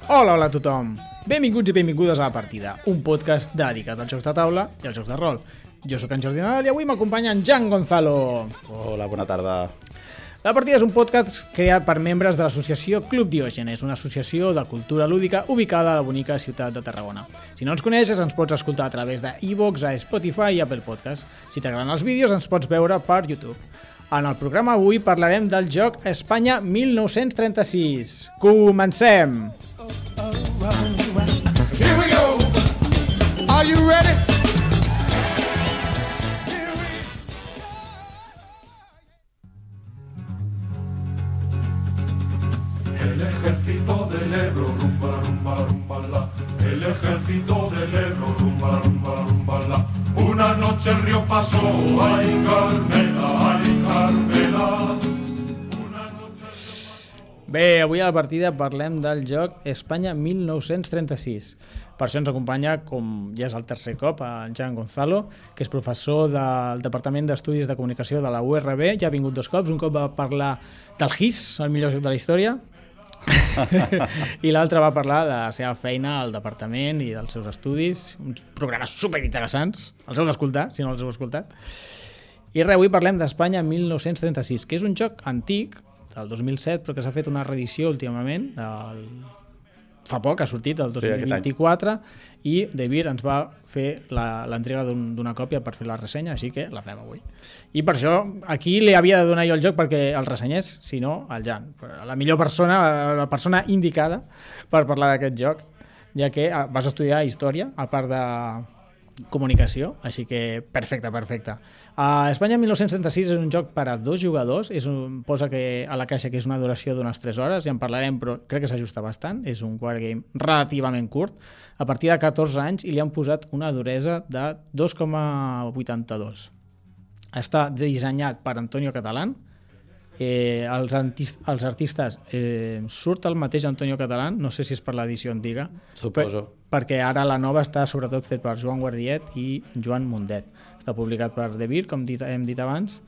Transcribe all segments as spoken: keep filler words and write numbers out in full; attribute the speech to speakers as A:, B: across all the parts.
A: Hola, hola a tothom! Benvinguts i benvingudes a La Partida, un podcast dedicat als jocs de taula i als jocs de rol. Jo sóc en Jordi Nadal i avui m'acompanya en Jan Gonzalo.
B: Hola, bona tarda.
A: La Partida és un podcast creat per membres de l'associació Club Diògenes, una associació de cultura lúdica ubicada a la bonica ciutat de Tarragona. Si no ens coneixes, ens pots escoltar a través de iVoox, a Spotify i Apple Podcast. Si t'agraden els vídeos, ens pots veure per YouTube. En el programa avui parlarem del joc Espanya mil nou-cents trenta-sis. Comencem!
C: Here we go. Are you ready?
D: El ejército del Ebro, rumba, rumba, rumba, la. El ejército del Ebro, rumba, rumba, rumba, la. Una noche el río pasó, ay Carmela, ay Carmela.
A: Bé, avui a La Partida parlem del joc Espanya mil nou-cents trenta-sis. Per això ens acompanya, com ja és el tercer cop, en Jan Gonzalo, que és professor del Departament d'Estudis de Comunicació de la U R B. Ja ha vingut dos cops, un cop va parlar del G I S, el millor joc de la història, i l'altre va parlar de la seva feina al departament i dels seus estudis, uns programes superinteressants, els heu d'escoltar, si no els heu escoltat. I res, avui parlem d'Espanya mil nou-cents trenta-sis, que és un joc antic, del dos mil set, però que s'ha fet una reedició últimament, del... fa poc ha sortit, el dos mil vint-i-quatre, sí, i Devir ens va fer l'entrega un, d'una còpia per fer la ressenya, així que la fem avui. I per això aquí li havia de donar jo el joc perquè el ressenyés, si no, el Jan. La millor persona, la persona indicada per parlar d'aquest joc, ja que vas estudiar història, a part de comunicació, així que perfecte, perfecte. Uh, Espanya mil nou-cents trenta-sis és un joc per a dos jugadors, és un, posa que a la caixa que és una duració d'unes tres hores, ja en parlarem, però crec que s'ajusta bastant, és un wargame relativament curt, a partir de catorze anys, i li han posat una duresa de dos coma vuitanta-dos. Està dissenyat per Antonio Catalán, eh, els, artist, els artistes eh, surt el mateix Antonio Catalán, no sé si és per l'edició antiga,
B: suposo,
A: per, perquè ara la nova està sobretot fet per Joan Guardiet i Joan Mundet. Està publicat per Devir, com dit, hem dit abans,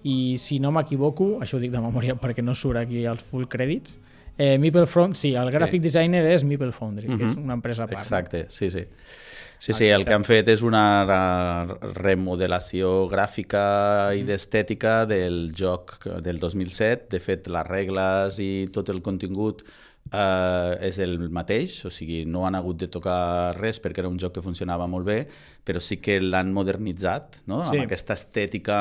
A: i si no m'equivoco, això ho dic de memòria perquè no surt aquí els full crèdits, eh, Meeple Foundry, sí, el graphic sí. designer és Meeple Foundry, uh-huh. que és una empresa a part.
B: Exacte, sí, sí. Sí, sí, el que han fet és una remodelació gràfica i d'estètica del joc del dos mil set. De fet, les regles i tot el contingut eh, és el mateix, o sigui, no han hagut de tocar res perquè era un joc que funcionava molt bé, però sí que l'han modernitzat, no? Sí. Amb aquesta estètica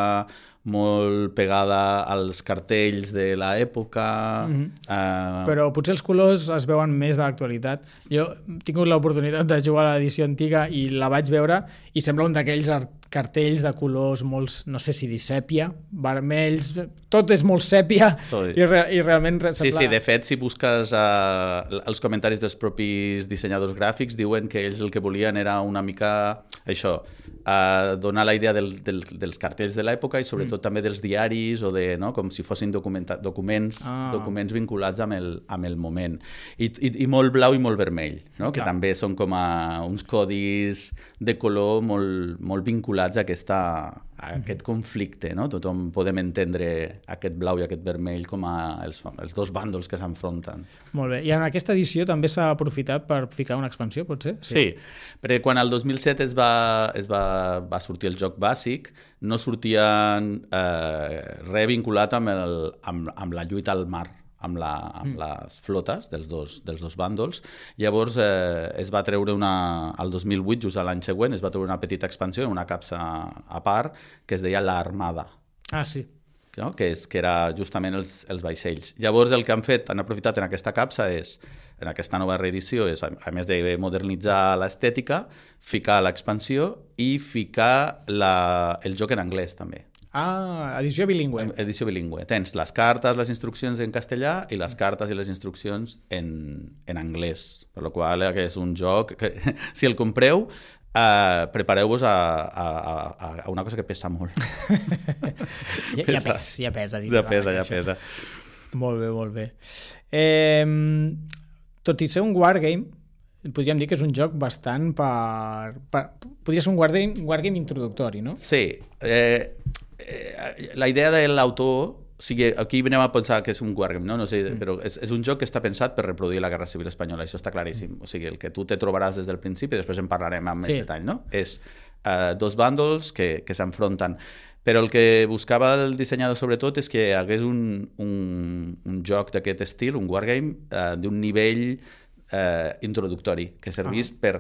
B: molt pegada als cartells de l'època. Mm-hmm. uh...
A: Però potser els colors es veuen més de l'actualitat. Jo he tingut l'oportunitat de jugar a l'edició antiga i la vaig veure i sembla un d'aquells cartells de colors molt, no sé si dir sèpia, vermells, tot és molt sèpia i, re, i realment...
B: Sí, sembla... sí, de fet, si busques uh, els comentaris dels propis dissenyadors gràfics, diuen que ells el que volien era una mica això, uh, donar la idea del, del, dels cartells de l'època i sobretot mm. també dels diaris o de, no? Com si fossin documenta- documents, ah. documents vinculats amb el, amb el moment. I, i, i molt blau i molt vermell, no? Que també són com a uns codis de color molt, molt vinculats a, aquesta, a aquest conflicte, no? Tothom podem entendre aquest blau i aquest vermell com a els, els dos bàndols que s'enfronten.
A: Molt bé. I en aquesta edició també s'ha aprofitat per ficar una expansió, pot ser?
B: Sí, sí, perquè quan el dos mil set es va, es va, va sortir el joc bàsic, no sortien eh, res vinculat amb, el, amb, amb la lluita al mar, amb, la, amb mm. les flotes dels dos, dels dos bàndols. Llavors eh, es va treure una, el dos mil vuit, just l'any següent, es va treure una petita expansió, una capsa a part, que es deia l'Armada.
A: Ah, sí.
B: No? Que, és, que era justament els, els vaixells. Llavors el que han fet, han aprofitat en aquesta capsa és, en aquesta nova reedició, és, a més de modernitzar l'estètica, ficar l'expansió i ficar la, el joc en anglès també.
A: Ah, edició bilingüe.
B: Edició bilingüe. Tens les cartes, les instruccions en castellà i les cartes i les instruccions en, en anglès. Per la qual cosa és un joc que, si el compreu, uh, prepareu-vos a, a, a, a una cosa que pesa molt.
A: ja, ja pesa, ja pesa.
B: Ja pesa, ja pesa.
A: Molt bé, molt bé. Eh, tot i ser un wargame, podríem dir que és un joc bastant per... per podria ser un wargame, wargame introductori, no?
B: Sí. Eh, eh, la idea de l'autor O sigui, aquí venem a pensar que és un wargame, no? No sé, mm. però és, és un joc que està pensat per reproduir la Guerra Civil Espanyola, això està claríssim. O sigui, el que tu te trobaràs des del principi, després en parlarem amb sí. més detall, no? És uh, dos bàndols que, que s'enfronten. Però el que buscava el dissenyador sobretot és que hi hagués un, un, un joc d'aquest estil, un wargame, uh, d'un nivell uh, introductori, que servís ah. per...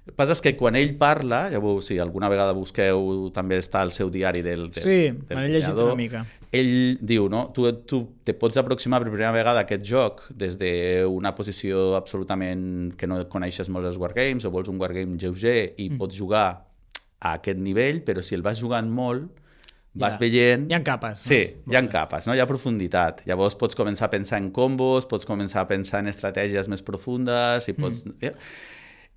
B: El que passa és que quan ell parla, llavors, si alguna vegada busqueu, també està al seu diari del, del,
A: sí,
B: del
A: m'he llegit una mica.
B: Ell diu, no? Tu, tu te pots aproximar per primera vegada a aquest joc des d'una posició absolutament que no coneixes molt els wargames, o vols un wargame lleuger i mm. pots jugar a aquest nivell, però si el vas jugant molt, vas
A: ja.
B: veient...
A: Hi ha capes.
B: Sí, no? hi ha capes, no? Hi ha profunditat. Llavors pots començar a pensar en combos, pots començar a pensar en estratègies més profundes, i pots... Mm. Ja.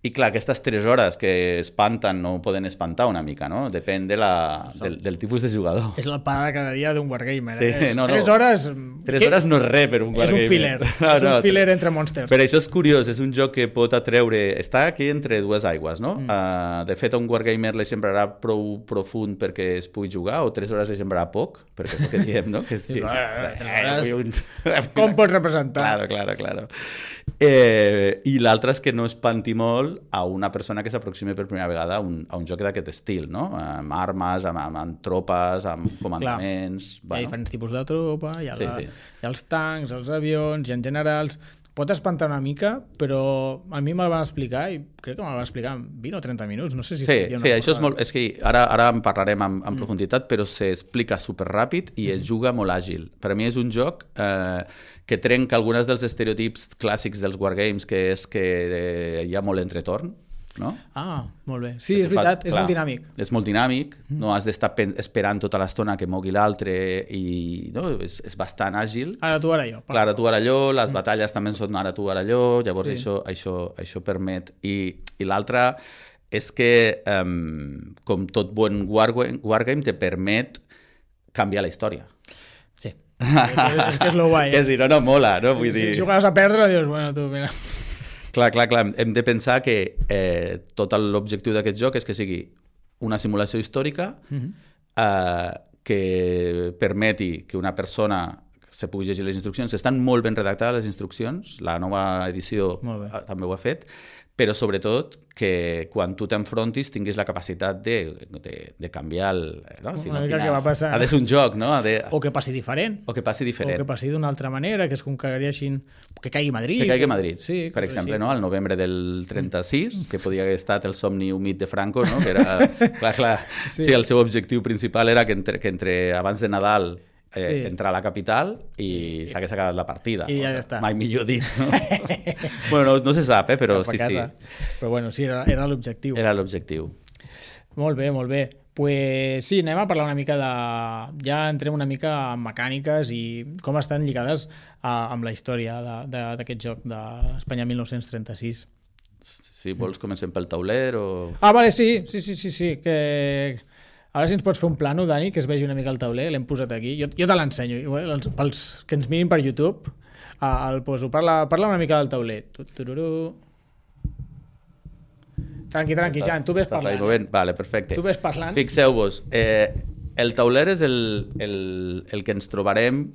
B: I clar, aquestes tres hores que espanten no poden espantar una mica, no? Depèn de la, del, del tipus de jugador.
A: És la paga de cada dia d'un wargamer.
B: Sí,
A: eh?
B: no, no.
A: Tres hores...
B: Tres hores no és res per un wargamer.
A: És un filler. No, és un no, filler entre monsters.
B: Però això és curiós, és un joc que pot atreure... Està aquí entre dues aigües, no? Mm. Uh, de fet, a un wargamer li sembrarà prou profund perquè es pugui jugar, o tres hores li sembrarà poc, perquè és el que diem, no? Que
A: sí, va, tres hores... Un... Com pots representar?
B: Claro, claro, claro. Eh, I l'altre és que no espanti molt a una persona que s'aproximi per primera vegada a un, a un joc d'aquest estil, no? Amb armes, amb, amb, amb tropes, amb comandaments...
A: Clar. Bueno. Hi ha diferents tipus de tropa, hi ha,
B: sí,
A: la,
B: sí.
A: hi ha els tancs, els avions, hi ha generals... Pot espantar una mica, però a mi me'l van explicar i crec que me'l van explicar en vint o trenta minuts. No sé si...
B: Sí, sí, això és molt... És que ara, ara en parlarem en, en mm. profunditat, però s'explica superràpid i mm. es juga molt àgil. Per a mi és un joc eh, que trenca alguns dels estereotips clàssics dels wargames, que és que eh, hi ha molt entretorn, no?
A: Ah, molt bé. Sí, és veritat, és
B: clar,
A: molt dinàmic.
B: És molt dinàmic, mm. no has d'estar esperant tota l'estona que mogui l'altre i no, és, és bastant àgil.
A: Ara tu, ara jo.
B: Clar, ara tu, ara jo, les mm. batalles també són ara tu, ara jo, llavors sí. això, això, això permet. I, i l'altre és que, um, com tot bon wargame, wargame, te permet canviar la història.
A: Sí. És que és lo guai.
B: Eh? És dir, no, no, mola, no? Vull
A: sí,
B: dir...
A: Si jugues a perdre, dius, bueno, tu, mira...
B: Clar, clar, clar. Hem de pensar que eh, tot l'objectiu d'aquest joc és que sigui una simulació històrica mm-hmm. eh, que permeti que una persona se pugui llegir les instruccions. Estan molt ben redactades les instruccions, la nova edició també ho ha fet, però sobretot que quan tu t'enfrontis tinguis la capacitat de, de, de canviar el... No? Si
A: una
B: no,
A: mica
B: quina...
A: que va passar.
B: Ha de ser un joc, no? Ha de...
A: O que passi diferent.
B: O que passi diferent.
A: O que passi d'una altra manera, que es conquereixin... Que caigui Madrid.
B: Que caigui Madrid,
A: sí,
B: per exemple,
A: sí.
B: no? Al novembre del trenta-sis, que podia haver estat el somni humit de Franco, no? Que era... clar, clar. Sí. Sí, el seu objectiu principal era que entre, que entre abans de Nadal Eh, sí. entrar a la capital i s'hagués acabat la partida.
A: I ja està.
B: Mai millor dit, no? bueno, no, no se sap, eh, però sí, sí.
A: Però bueno, sí, era, era l'objectiu.
B: Era l'objectiu.
A: Molt bé, molt bé. Pues sí, anem a parlar una mica de... Ja entrem una mica en mecàniques i com estan lligades a, amb la història d'aquest joc d'Espanya mil nou-cents trenta-sis.
B: Si vols comencem pel tauler o...
A: Ah, vale, sí, sí, sí, sí, sí, que... Ara si ens pots fer un plano, Dani, que es vegi una mica el tauler, l'hem posat aquí. Jo, jo te l'ensenyo, pels que ens mirin per YouTube, el poso. Parla, parla una mica del tauler. Tranqui, tranqui, Jan, tu ves parlant.
B: Eh? Vale, perfecte.
A: Tu ves parlant.
B: Fixeu-vos, eh, el tauler és el, el, el que ens trobarem...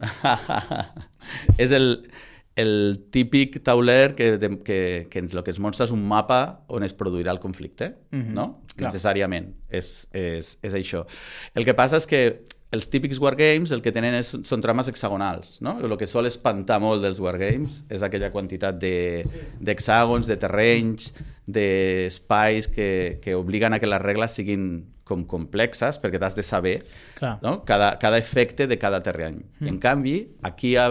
B: és el... el típic tauler que, de, que, que el que es mostra és un mapa on es produirà el conflicte, mm-hmm. no? Clar. Necessàriament, és, és, és això. El que passa és que els típics wargames el que tenen és, són trames hexagonals, no? El que sol espantar molt dels wargames és aquella quantitat d'hexàgons, de, de terrenys, d'espais que, que obliguen a que les regles siguin com complexes, perquè t'has de saber no? cada, cada efecte de cada terreny. Mm. En canvi, aquí ha,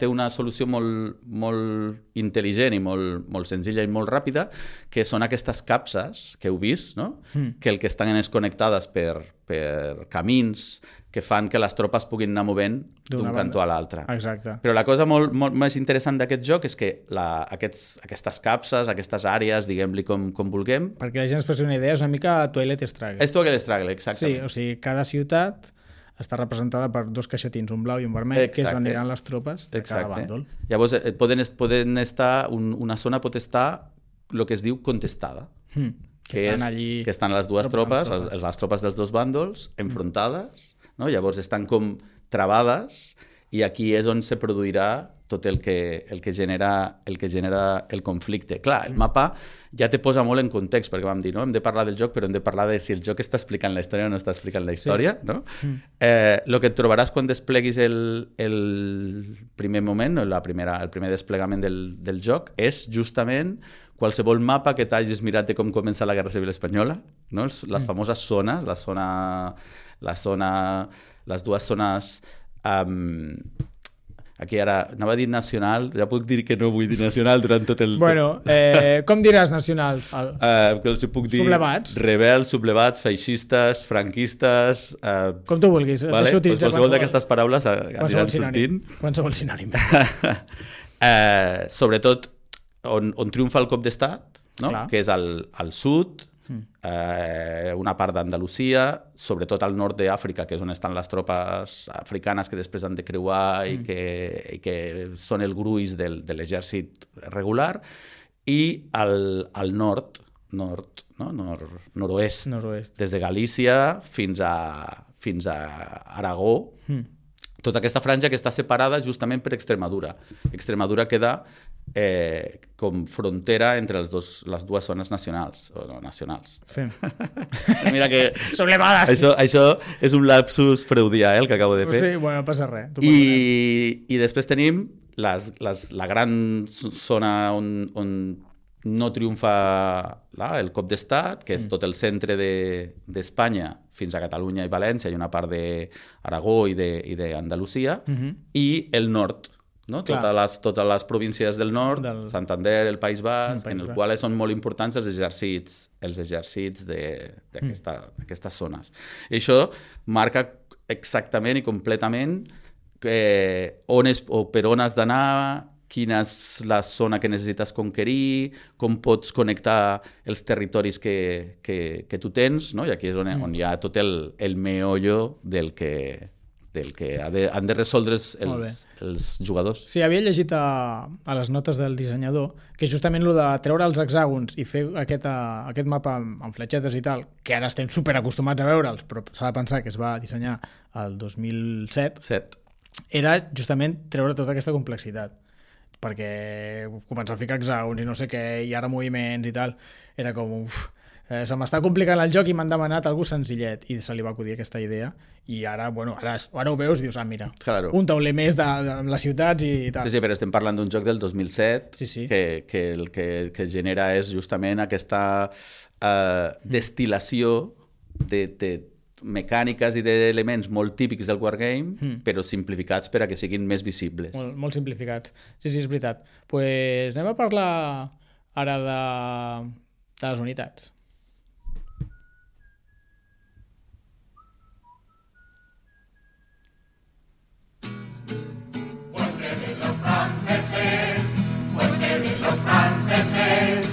B: té una solució molt, molt intel·ligent i molt, molt senzilla i molt ràpida, que són aquestes capses que heu vist, no? Mm. Que el que estan és connectades per, per camins que fan que les tropes puguin anar movent d'un cantó a l'altre.
A: Exacte.
B: Però la cosa molt, molt més interessant d'aquest joc és que la, aquests, aquestes capses, aquestes àrees, diguem-li com, com vulguem...
A: Perquè la gent es faci una idea, és una mica Twilight Struggle.
B: És Twilight Struggle, exactament.
A: Sí, o sigui, cada ciutat està representada per dos caixetins, un blau i un vermell, exacte. Que és on aniran les tropes de exacte. Cada bàndol.
B: Llavors, poden, poden estar, un, una zona pot estar el que es diu contestada, hmm. que, que, estan és, allí... que estan les dues tropes, tropes. Les, les tropes dels dos bàndols, enfrontades, no? Llavors estan com travades i aquí és on se produirà tot el que, el que, genera, el que genera el conflicte. Clar, el mapa ja te posa molt en context, perquè vam dir, no? Hem de parlar del joc, però hem de parlar de si el joc està explicant la història o no està explicant la història, sí. No? Mm. Eh, lo que et trobaràs quan despleguis el, el primer moment, la primera, el primer desplegament del, del joc, és justament qualsevol mapa que t'hagis mirat de com comença la Guerra Civil Espanyola, no? Les mm. famoses zones, la zona, la zona, les dues zones... Um, aquí ara anava a dir nacional, ja puc dir que no vull dir nacional durant tot el...
A: Bueno, eh, com diràs nacionals? El...
B: Uh, que els puc dir
A: sublevats.
B: Rebels, sublevats, feixistes, franquistes... Uh,
A: com tu vulguis.
B: Vale? Pues qualsevol d'aquestes paraules aniran sortint.
A: Qualsevol sinònim.
B: uh, sobretot on, on triomfa el cop d'estat, no? Que és al, al sud, mm. eh, una part d'Andalusia, sobretot al nord d'Àfrica, que és on estan les tropes africanes que després han de creuar i, mm. que, i que són el gruix del, de l'exèrcit regular, i al, al nord, nord, no? nord, nord-oest,
A: nord-oest,
B: des de Galícia fins a, fins a Aragó, mm. tota aquesta franja que està separada justament per Extremadura. Extremadura queda eh, com frontera entre els dos, les dues zones nacionals. O no, nacionals.
A: Sí.
B: Mira que...
A: Sublevades.
B: Això, això és un lapsus freudià, eh, el que acabo de fer.
A: Sí, bueno, no passa res.
B: I, I després tenim les, les, la gran zona on, on no triomfa la, el cop d'estat, que és mm. tot el centre d'Espanya de, fins a Catalunya i València, i una part d'Aragó i d'Andalusia, de, mm-hmm. i el nord, no? Totes les, totes les províncies del nord, del... Santander, el País Basc, el en el qual són molt importants els exèrcits, els exèrcits d'aquestes mm. zones. I això marca exactament i completament eh, on és, o per on has d'anar, quina és la zona que necessites conquerir, com pots connectar els territoris que, que, que tu tens, no? I aquí és on, mm. on hi ha tot el, el meollo del que, del que ha de, han de resoldre els, els, els jugadors.
A: Sí, havia llegit a, a les notes del dissenyador que justament el de treure els hexàgons i fer aquest, a, aquest mapa amb, amb fletxetes i tal, que ara estem superacostumats a veure'ls, però s'ha de pensar que es va dissenyar el dos mil set,
B: Set.
A: Era justament treure tota aquesta complexitat, perquè començar a ficar hexàgons i no sé què, i ara moviments i tal, era com, uf, eh, se m'està complicant el joc i m'han demanat algú senzillet, i se li va acudir aquesta idea, i ara, bueno, ara, ara ho veus i dius, ah, mira,
B: claro.
A: Un tauler més de, de, de les ciutats i tal.
B: Sí, sí, però estem parlant d'un joc del dos mil set,
A: sí, sí.
B: Que, que el que, que genera és justament aquesta uh, destil·lació de, de mecàniques i d'elements molt típics del wargame, mm. però simplificats per a que siguin més visibles.
A: Molt, molt simplificats. Sí, sí, és veritat. Doncs pues anem a parlar ara de, de les unitats.
D: Fuerte de los franceses, fuerte de los franceses,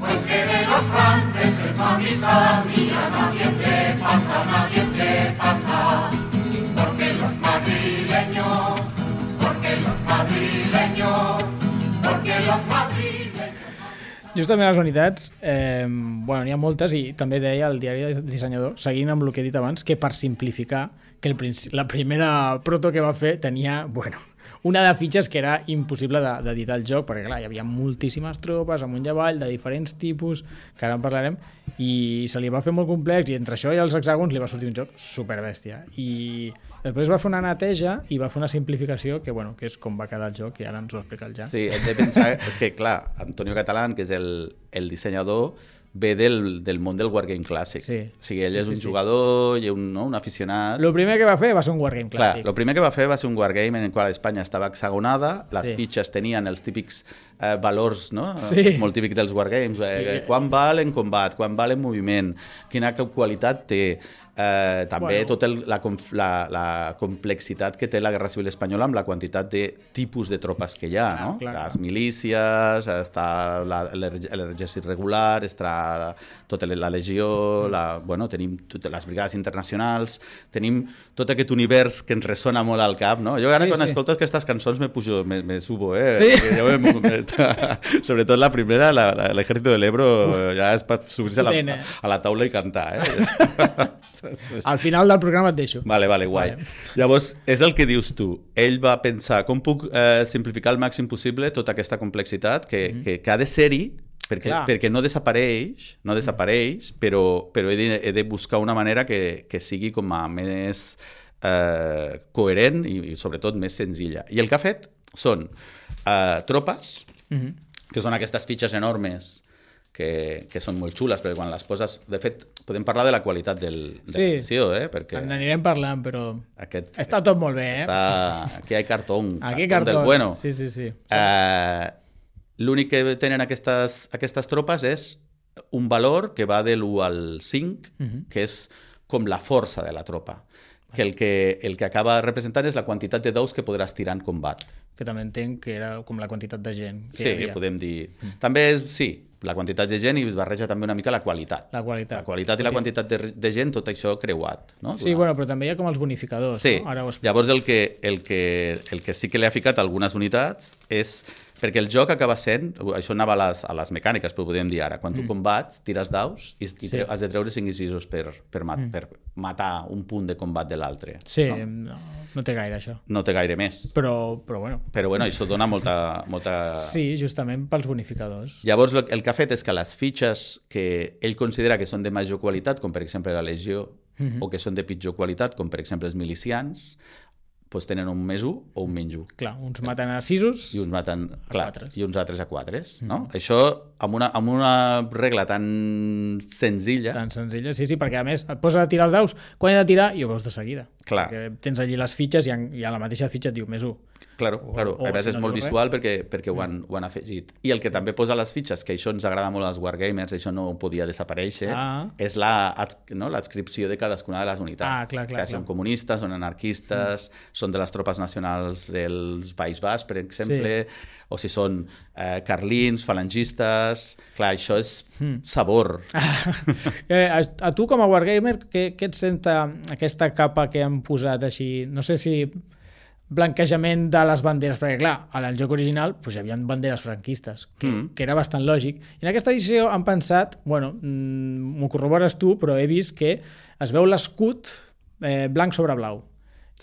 D: fuerte de los franceses, mamita mía, nadie te pasa, nadie te pasa, porque los madrileños, porque los madrileños, porque los madrileños...
A: Justament les unitats, eh, bueno, n'hi ha moltes, i també deia el diari de dissenyador, seguint amb el que he dit abans, que per simplificar, que el, la primera proto que va fer tenia, bueno, una de fitxes que era impossible d'editar el joc, perquè clar, hi havia moltíssimes tropes amunt i avall, de diferents tipus, que ara en parlarem, i se li va fer molt complex, i entre això i els hexàgons li va sortir un joc superbèstia. I després va fer una neteja i va fer una simplificació que, bueno, que és com va quedar el joc, i ara ens ho explica el Jan.
B: Sí, hem de pensar, és que clar, Antonio Catalán, que és el, el dissenyador, ve del, del món del wargame clàssic.
A: Sí.
B: O sigui, ell
A: sí,
B: és un
A: sí,
B: jugador i un, no, un aficionat.
A: El primer que va fer va ser un wargame clàssic.
B: Clar, el primer que va fer va ser un wargame en el qual Espanya estava hexagonada, les sí. fitxes tenien els típics eh, valors, no?
A: Sí.
B: Molt típic dels wargames. Eh,
A: sí.
B: Quan val en combat, quan val en moviment, quina qualitat té. Eh, també
A: bueno.
B: tota la, la, la complexitat que té la Guerra Civil Espanyola amb la quantitat de tipus de tropes que hi ha, no?
A: Clar, clar.
B: Les milícies, està l'exèrcit regular, està tota la legió, la, bueno, tenim totes les brigades internacionals, tenim tot aquest univers que ens ressona molt al cap, no? Jo ara sí, quan sí. escolto aquestes cançons me pujo, me, me subo, eh?
A: Sí?
B: Jo me, me, sobretot la primera, l'Ejército del Ebro, Uf. ja és per subir-se a, la, a la taula i cantar, eh?
A: Al final del programa et deixo.
B: Vale, vale, guai. Vale. Llavors, és el que dius tu. Ell va pensar com puc eh, simplificar al màxim possible tota aquesta complexitat que, mm-hmm. que, que ha de ser-hi perquè, perquè no desapareix, no desapareix, però, però he, de, he de buscar una manera que, que sigui com a més eh, coherent i, i sobretot més senzilla. I el que ha fet són eh, tropes, mm-hmm. que són aquestes fitxes enormes que, que són molt xules, perquè quan les poses... De fet, podem parlar de la qualitat del, de
A: sí,
B: l'edició, eh? Perquè
A: n'anirem parlant, però
B: aquest,
A: està tot molt bé, eh?
B: Està... Aquí hi ha cartón,
A: Aquí
B: cartón,
A: cartón
B: del bueno.
A: Sí, sí, sí.
B: Eh, L'únic que tenen aquestes, aquestes tropes és un valor que va de l'u al cinc, uh-huh. que és com la força de la tropa. Que el, que el que acaba representant és la quantitat de daus que podràs tirar en combat.
A: Que també entenc que era com la quantitat de gent que
B: sí,
A: hi havia.
B: Podem dir... Mm. També és, sí, la quantitat de gent i es barreja també una mica la qualitat.
A: La qualitat.
B: La qualitat i la quantitat de, de gent, tot això creuat. No?
A: Sí, bueno, però també hi ha com els bonificadors.
B: Sí,
A: no? Ara ho
B: llavors el que, el, que, el que sí que li ha ficat algunes unitats és... Perquè el joc acaba sent, això anava a les, a les mecàniques, però ho podem dir ara, quan tu mm. combats, tires daus i, i sí. has de treure cinc i sis per, per, mat, mm. per matar un punt de combat de l'altre.
A: Sí,
B: no?
A: no, no té gaire això.
B: No té gaire més.
A: Però, però bueno.
B: Però bueno, això dona molta, molta...
A: Sí, justament pels bonificadors.
B: Llavors el que ha fet és que les fitxes que ell considera que són de major qualitat, com per exemple la Legió, mm-hmm. o que són de pitjor qualitat, com per exemple els milicians, doncs tenen un més un o un menys un.
A: Clar, uns maten a sisos
B: i uns maten clar,
A: quatre.
B: I uns altres a quatre. No? Mm. Això amb una, amb una regla tan senzilla...
A: Tan senzilla, sí, sí, perquè a més et poses a tirar els daus, quan he de tirar i ho veus de seguida.
B: Clar.
A: Perquè tens allí les fitxes i a la mateixa fitxa et diu més un.
B: Claro,
A: o,
B: claro.
A: O,
B: a més
A: si
B: és
A: no
B: molt visual perquè, perquè ho, han, ho han afegit. I el que sí. també posa les fitxes, que això ens agrada molt als Wargamers, això no podia desaparèixer, ah. és l'adscripció la, no, de cadascuna de les unitats.
A: Ah, clar, clar,
B: que són
A: clar.
B: comunistes, són anarquistes, mm. són de les tropes nacionals dels País Basc, per exemple, sí. o si són eh, carlins, falangistes... Clar, això és mm. sabor.
A: eh, a, a tu, com a Wargamer, què, què et senta aquesta capa que han posat així? No sé si... blanquejament de les banderes, perquè clar, en el joc original pues, hi havia banderes franquistes, que, mm. que era bastant lògic. I en aquesta edició han pensat, bueno, m'ho corrobores tu, però he vist que es veu l'escut eh, blanc sobre blau.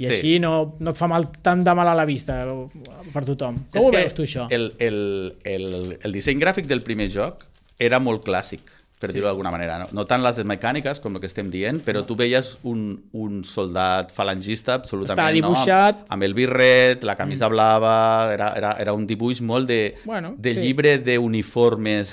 A: I sí. així no, no et fa mal, tant de mal a la vista per tothom. Com és ho veus tu, això?
B: El, el, el, el disseny gràfic del primer joc era molt clàssic, per sí. dir-ho d'alguna manera. No? no tant les mecàniques, com el que estem dient, però tu veies un, un soldat falangista absolutament...
A: Està dibuixat...
B: No? Amb, amb el birret, la camisa mm. blava... Era, era, era un dibuix molt de,
A: bueno,
B: de
A: sí.
B: llibre d'uniformes.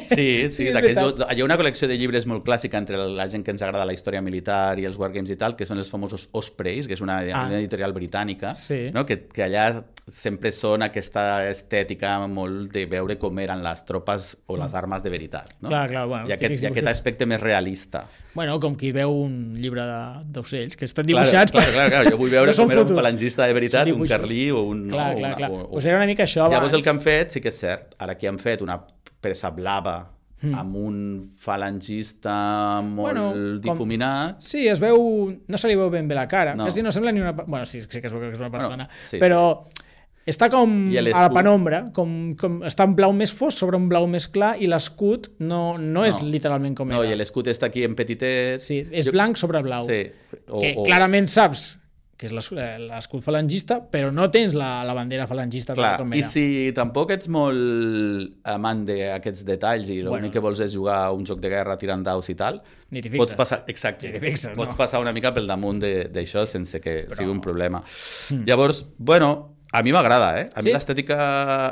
B: Sí, sí,
A: sí
B: hi ha una col·lecció de llibres molt clàssica entre la gent que ens agrada la història militar i els wargames i tal, que són els famosos Ospreys, que és una, ah. una editorial britànica,
A: sí.
B: no? que, que allà sempre són aquesta estètica molt de veure com eren les tropes o les armes de veritat. No?
A: Clar, clar, bueno,
B: I aquest, i aquest aspecte més realista.
A: Bueno, com qui veu un llibre d'ocells, que estan dibuixats...
B: Clar, clar, clar, jo vull veure no com era un falangista de veritat, un carlí o un...
A: Clar,
B: no,
A: clar,
B: una,
A: clar.
B: O, o...
A: Pues era una mica això abans.
B: Llavors el que han fet, sí que és cert, ara que han fet una presa blava mm. amb un falangista molt
A: bueno,
B: difuminat...
A: Com... Sí, es veu... No se li veu ben bé la cara,
B: no.
A: quasi no sembla ni una... Bueno, sí, sí que es veu que és una persona,
B: bueno, sí,
A: però... Sí. Està com a la penombra, com, com està en blau més fosc sobre un blau més clar i l'escut no, no és no. literalment com
B: no,
A: era.
B: No, i l'escut està aquí en petitet.
A: Sí, és
B: jo...
A: blanc sobre blau.
B: Sí. O,
A: que
B: o...
A: clarament saps que és l'escut falangista, però no tens la, la bandera falangista.
B: Clar,
A: com
B: i
A: era.
B: si tampoc ets molt amant d'aquests detalls i l'únic bueno. que vols és jugar a un joc de guerra tirant daus i tal,
A: ni t'hi fixes.
B: Pots passar, exacte,
A: ni fixes,
B: pots
A: no.
B: passar una mica pel damunt d'això sí, sense que però... sigui un problema.
A: Mm.
B: Llavors, bueno... A mi m'agrada, eh? A mi
A: sí?
B: l'estètica,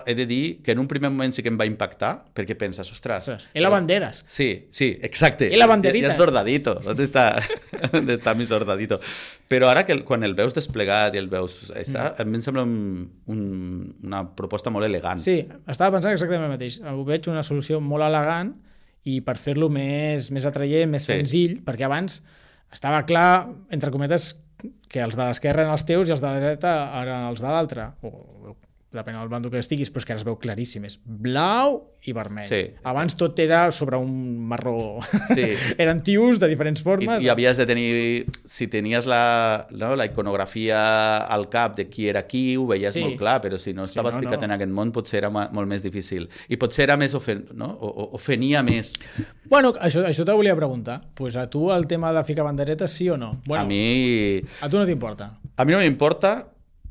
B: he de dir, que en un primer moment sí que em va impactar, perquè penses, ostres...
A: ostres I la banderes.
B: Sí, sí, exacte.
A: I la banderita.
B: I el sordadito. ¿Dónde está, ¿Dónde está mi sordadito? Però ara que quan el veus desplegat i el veus... Esta, mm. a mi em sembla un, un, una proposta molt elegant.
A: Sí, estava pensant exactament el mateix. Ho veig una solució molt elegant i per fer-lo més, més atraient, més sí. senzill, perquè abans estava clar, entre cometes, que els de l'esquerra eren els teus i els de la dreta eren els de l'altre. depèn del bando que estiguis, però és que ara es veu claríssim, és blau i vermell.
B: Sí.
A: Abans tot era sobre un marró.
B: Sí.
A: Eren tios de diferents formes.
B: I, i havies de tenir, si tenies la, no, la iconografia al cap de qui era qui, ho veies
A: Sí.
B: molt clar, però si no estaves
A: no,
B: ficat
A: no.
B: en aquest món potser era ma- molt més difícil. I potser era més ofen, no? o, o, ofenia més.
A: Bueno, això, això te volia preguntar. Pues a tu el tema de ficar banderetes, sí o no? Bueno,
B: A mi...
A: a tu no t'importa.
B: A mi no m'importa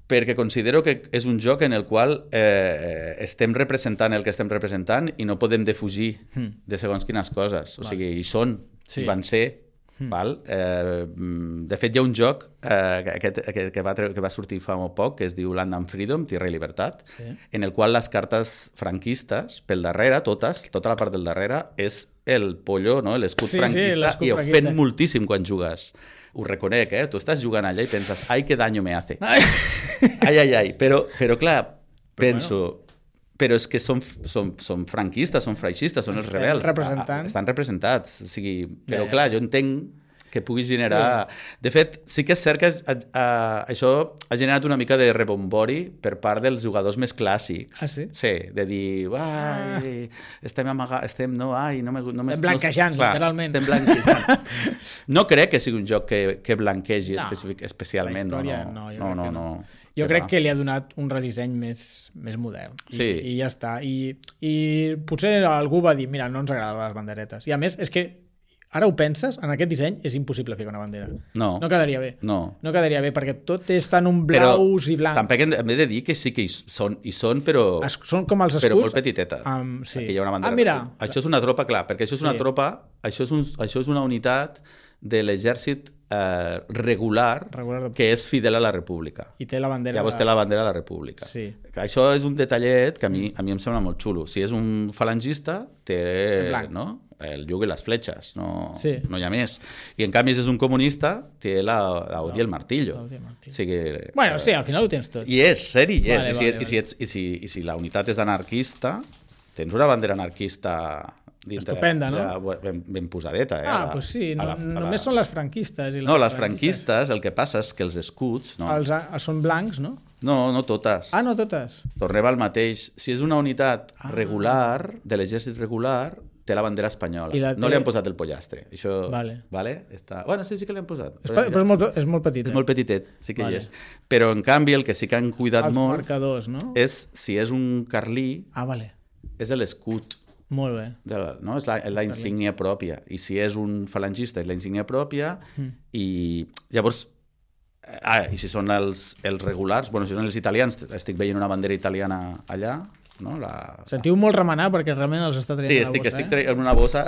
B: perquè considero que és un joc en el qual eh, estem representant el que estem representant i no podem defugir
A: Mm.
B: de segons quines coses. O sigui, hi són,
A: Sí.
B: hi van ser.
A: Mm.
B: Val? Eh, de fet, hi ha un joc eh, que, aquest, que, que, va, tre- que va sortir fa molt poc, que es diu Land and Freedom, Tierra i Libertat,
A: Sí.
B: en el qual les cartes franquistes, pel darrere, totes, tota la part del darrere, és el pollo, no? l'escut
A: Sí, sí,
B: franquista,
A: l'escut
B: i
A: franquista.
B: ofèn moltíssim quan jugues. Ho reconec, eh? Tu estàs jugant allà i penses, ai, que daño me hace. Ai, ai, ai. Però, però clar, penso... Però és que són, són, són franquistes, són freixistes, són els
A: Estan
B: rebels.
A: representant.
B: Ah, Estan representats. O sigui, però
A: Ja, ja.
B: clar, jo entenc que pugui generar... De fet, sí que és cert que a, a, això ha generat una mica de rebombori per part dels jugadors més clàssics.
A: Ah, sí?
B: Sí, de dir, ai, estem amagant, estem, no, ai, no me... No me
A: Estem blanquejant,
B: no, clar,
A: literalment.
B: Estem blanquejant. No crec que sigui un joc que, que blanquegi
A: No,
B: especific, especialment.
A: la història,
B: no,
A: no, jo
B: no,
A: crec
B: no,
A: que
B: no.
A: no. Jo crec que li ha donat un redisseny més, més modern. I,
B: Sí.
A: I ja està. I, I potser algú va dir, mira, no ens agraden les banderetes. I a més, és que ara ho penses, en aquest disseny és impossible ficar una bandera.
B: No.
A: No quedaria bé.
B: No.
A: No quedaria bé, perquè tot és tan un
B: Però
A: blaus i blancs.
B: tampoc hem de, hem de dir que sí que hi són, hi són però,
A: Es, són com els escuts.
B: però molt petitetes.
A: Um, sí.
B: Aquí hi ha una bandera.
A: Ah, mira.
B: Això és una tropa, clar, perquè això és una
A: Sí.
B: tropa, això és, un, això és una unitat de l'exèrcit eh, regular,
A: Regular de-
B: que és fidel a la república.
A: I té la bandera...
B: Llavors
A: de-
B: té la bandera de la república.
A: Sí.
B: Que això és un detallet que a mi, a mi em sembla molt xulo. Si és un falangista, té
A: blanc.
B: no? el llug i les fletxes, no,
A: Sí.
B: no hi ha més. I en canvi, si és un comunista, té la, la Odi i el martillo.
A: La Odi i el martillo.
B: O sigui,
A: Bueno, sí, al final ho tens tot.
B: I és, seri, és.
A: Vale,
B: I, si,
A: vale,
B: i, si ets, i, si, I si la unitat és anarquista, tens una bandera anarquista dintre
A: Estupenda, no?
B: de, ben, ben posadeta. Eh?
A: Ah,
B: A la-
A: doncs sí,
B: a
A: no,
B: la- a la-
A: només són les franquistes. I les
B: No, les franquistes, el que passa és que els escuts... No,
A: Els, a- són blancs, no?
B: no, no totes.
A: Ah, no totes.
B: Tornem al mateix. Si és una unitat regular, de l'exèrcit regular, té la bandera espanyola.
A: I la
B: No
A: té-
B: li han posat el pollastre. Això,
A: Vale.
B: vale? Està... Bueno, sí, sí que li han posat.
A: És, pe- però és molt, és molt petit.
B: és molt petitet, sí que
A: Vale.
B: hi és. Però, en canvi, el que sí que han cuidat
A: Els
B: molt
A: marcadors, no?
B: és, si és un carlí,
A: Ah, vale.
B: és l'escut.
A: Molt bé.
B: De la, no? És la, és la insígnia pròpia. I si és un falangista, és la insígnia pròpia.
A: Mm.
B: I llavors... eh, Ah, i si són els, els regulars, bueno, si són els italians, estic veient una bandera italiana allà, no? La...
A: Sentiu molt remenar perquè realment els està traient
B: Sí,
A: a la
B: estic,
A: bossa,
B: estic
A: eh?
B: traient una bossa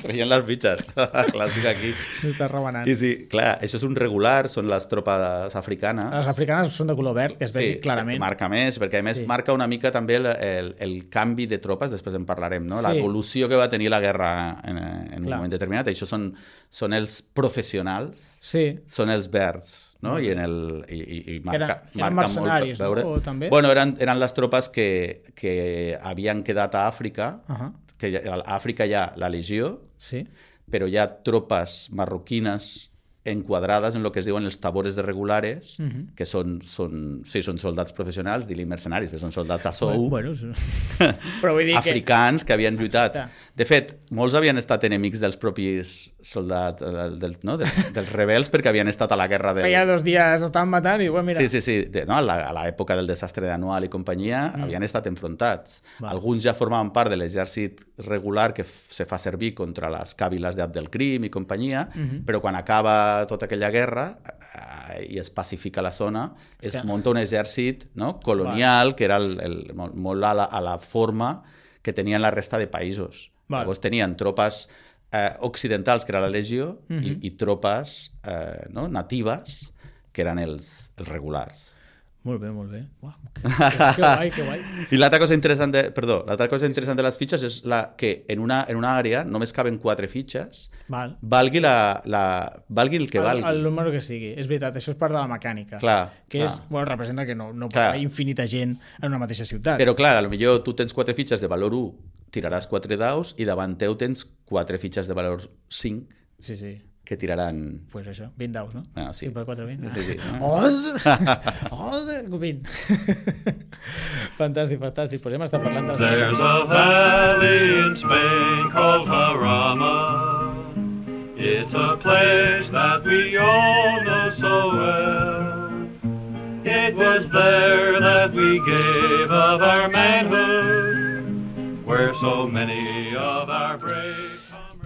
B: traient les bitxes. Clar, estic aquí.
A: Està remenant.
B: I sí, clar, això és un regular, són les tropes africanes.
A: Les africanes són de color verd, que es vegi
B: Sí,
A: clarament.
B: marca més, perquè a més
A: Sí.
B: marca una mica també el, el, el canvi de tropes, després en parlarem, no?
A: Sí.
B: L'evolució que va tenir la guerra en, en un
A: Clar.
B: moment determinat. Això són, són els professionals,
A: Sí.
B: són els verds, no? I, en el, i, i, i marca,
A: Eren- eren
B: marca
A: mercenaris,
B: molt,
A: no? O també?
B: Bueno, eren, eren les tropes que, que havien quedat a Àfrica,
A: Uh-huh.
B: que ja- a Àfrica hi ha la legió,
A: Sí.
B: però hi ha tropes marroquines enquadrades en el que es diuen els tabores de regulares,
A: Mhm.
B: que són, són, sí, són soldats professionals, dir-li mercenaris, però són soldats a sou,
A: Bueno, sí. Però vull dir que...
B: africans que havien lluitat.
A: Clar.
B: De fet, molts havien estat enemics dels propis soldats, eh, del, no? del, dels rebels, perquè havien estat a la guerra del...
A: Feia dos dies estaven matant i, bueno, mira...
B: Sí, sí, sí. De, no? A la- a l'època del desastre d'Anual i companyia mm. havien estat enfrontats.
A: Va.
B: Alguns ja formaven part de l'exèrcit regular que f- se fa servir contra les càviles d'Abdelkrim i companyia,
A: Mhm.
B: però quan acaba tota aquella guerra eh, i es pacifica la zona, es
A: que-
B: munta un exèrcit, no? colonial, que era el, el, molt, molt a, la, a la forma que tenien la resta de països.
A: Val.
B: Llavors tenien tropes eh, occidentals, que era la legió,
A: Mhm.
B: i, i tropes eh, no? natives, que eren els, els regulars.
A: Molt bé, molt bé. Uau, que, que, que guai, que guai.
B: I l'altra cosa interessant de, perdó, l'altra cosa interessant de les fitxes és la, que en una, en una àrea només caben quatre fitxes,
A: Val.
B: valgui, la, la, valgui el que
A: el,
B: valgui.
A: el número que sigui. És veritat, això és part de la mecànica.
B: Clar,
A: que
B: clar.
A: és, bueno, representa que no, no pot
B: Clar.
A: haver infinita gent en una mateixa ciutat.
B: Però clar, potser tu tens quatre fitxes de valor u, tiraràs quatre daus i davant teu tens quatre fitxes de valor cinc.
A: Sí, sí.
B: que tiraran...
A: Pues això, vint daus, no?
B: Ah, sí.
A: cinc per quatre, vint.
B: Sí, sí.
A: Os! Os! vint. Fantàstic, fantàstic. Pues hem estat parlant de les...
D: There's a valley in Spain called Jarama. It's a place that we all know so well. It was there that we gave of our manhood, where so many of our brave...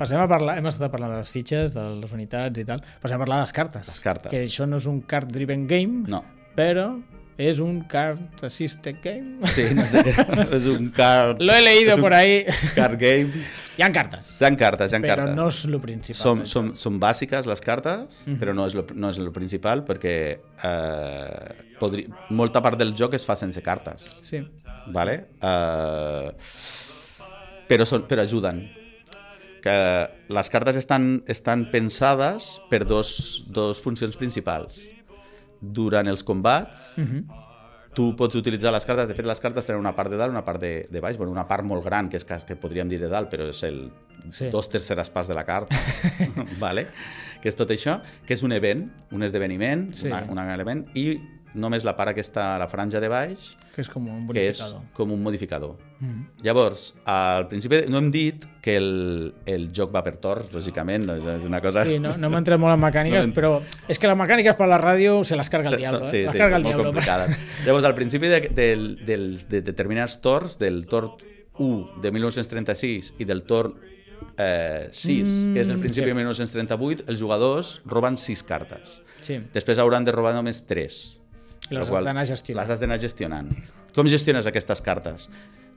A: Passem a parlar, hem estat parlant de les fitxes, de les unitats i tal. Passem a parlar de les cartes.
B: Les cartes.
A: Que això no és un card-driven game,
B: No.
A: però és un card assisted game.
B: Sí, no sé. És un card...
A: Lo he leído por ahí.
B: Card game.
A: Hi ha cartes,
B: Hi ha cartes, hi ha
A: però
B: cartes.
A: no és lo principal.
B: Som,
A: d'això.
B: som, són bàsiques les cartes,
A: Mhm.
B: però no és, lo, no és lo principal perquè eh, podri... molta part del joc es fa sense cartes.
A: Sí.
B: Vale? Eh, però, són, però ajuden. Que les cartes estan, estan pensades per dos, dos funcions principals. Durant els combats,
A: Mhm.
B: tu pots utilitzar les cartes. De fet, les cartes tenen una part de dalt i una part de, de baix. Bueno, una part molt gran, que és que, que podríem dir de dalt, però és el
A: Sí.
B: dos terceres parts de la carta. Vale? Que és tot això, que és un event, un esdeveniment,
A: Sí.
B: una, un element, i només la part aquesta, la franja de baix,
A: Que és com un
B: que és
A: bonificador.
B: com un modificador.
A: Mhm.
B: Llavors, al principi no hem dit que el, el joc va per torns, lògicament, és és una cosa...
A: Sí, no, no hem entrat molt en mecàniques,
B: No hem-
A: però és que les mecàniques per la ràdio se les carga el diablo, eh?
B: Sí,
A: les
B: sí,
A: carga el
B: molt
A: diablo.
B: complicades. Llavors, al principi de, del, del, de determinats torns, del torn u de mil nou-cents trenta-sis i del torn eh, sis,
A: Mm,
B: que és el principi
A: sí.
B: de mil nou-cents trenta-vuit, els jugadors roben sis cartes.
A: Sí,
B: Després hauran de robar només tres.
A: i les
B: la qual-
A: has d'anar gestionant.
B: Les has d'anar gestionant. Com gestiones aquestes cartes?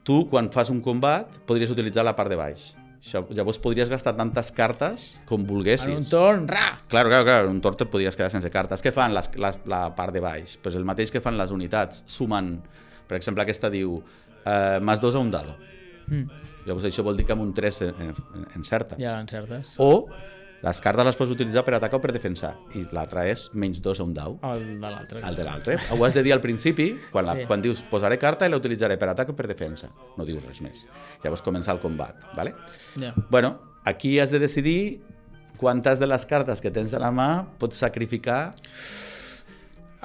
B: Tu, quan fas un combat, podries utilitzar la part de baix. Això, llavors podries gastar tantes cartes com volguessis.
A: En un torn, ra!
B: Claro, claro, claro, en un torn te podies quedar sense cartes. Què fan les, la, la part de baix? Pues el mateix que fan les unitats, sumen. Per exemple, aquesta diu eh, més dos a un dado.
A: Mm.
B: Llavors això vol dir que amb un tres en, en, encerta.
A: Ja l'encertes.
B: O les cartes les pots utilitzar per atacar o per defensar. I l'altra és menys dos a un dau.
A: El de l'altre.
B: El de l'altre. Ho has de dir al principi, quan, la,
A: Sí.
B: quan dius posaré carta i la utilitzaré per atac o per defensa. No dius res més. Llavors comença el combat. ¿Vale?
A: Ja.
B: Bueno, aquí has de decidir quantes de les cartes que tens a la mà pots sacrificar.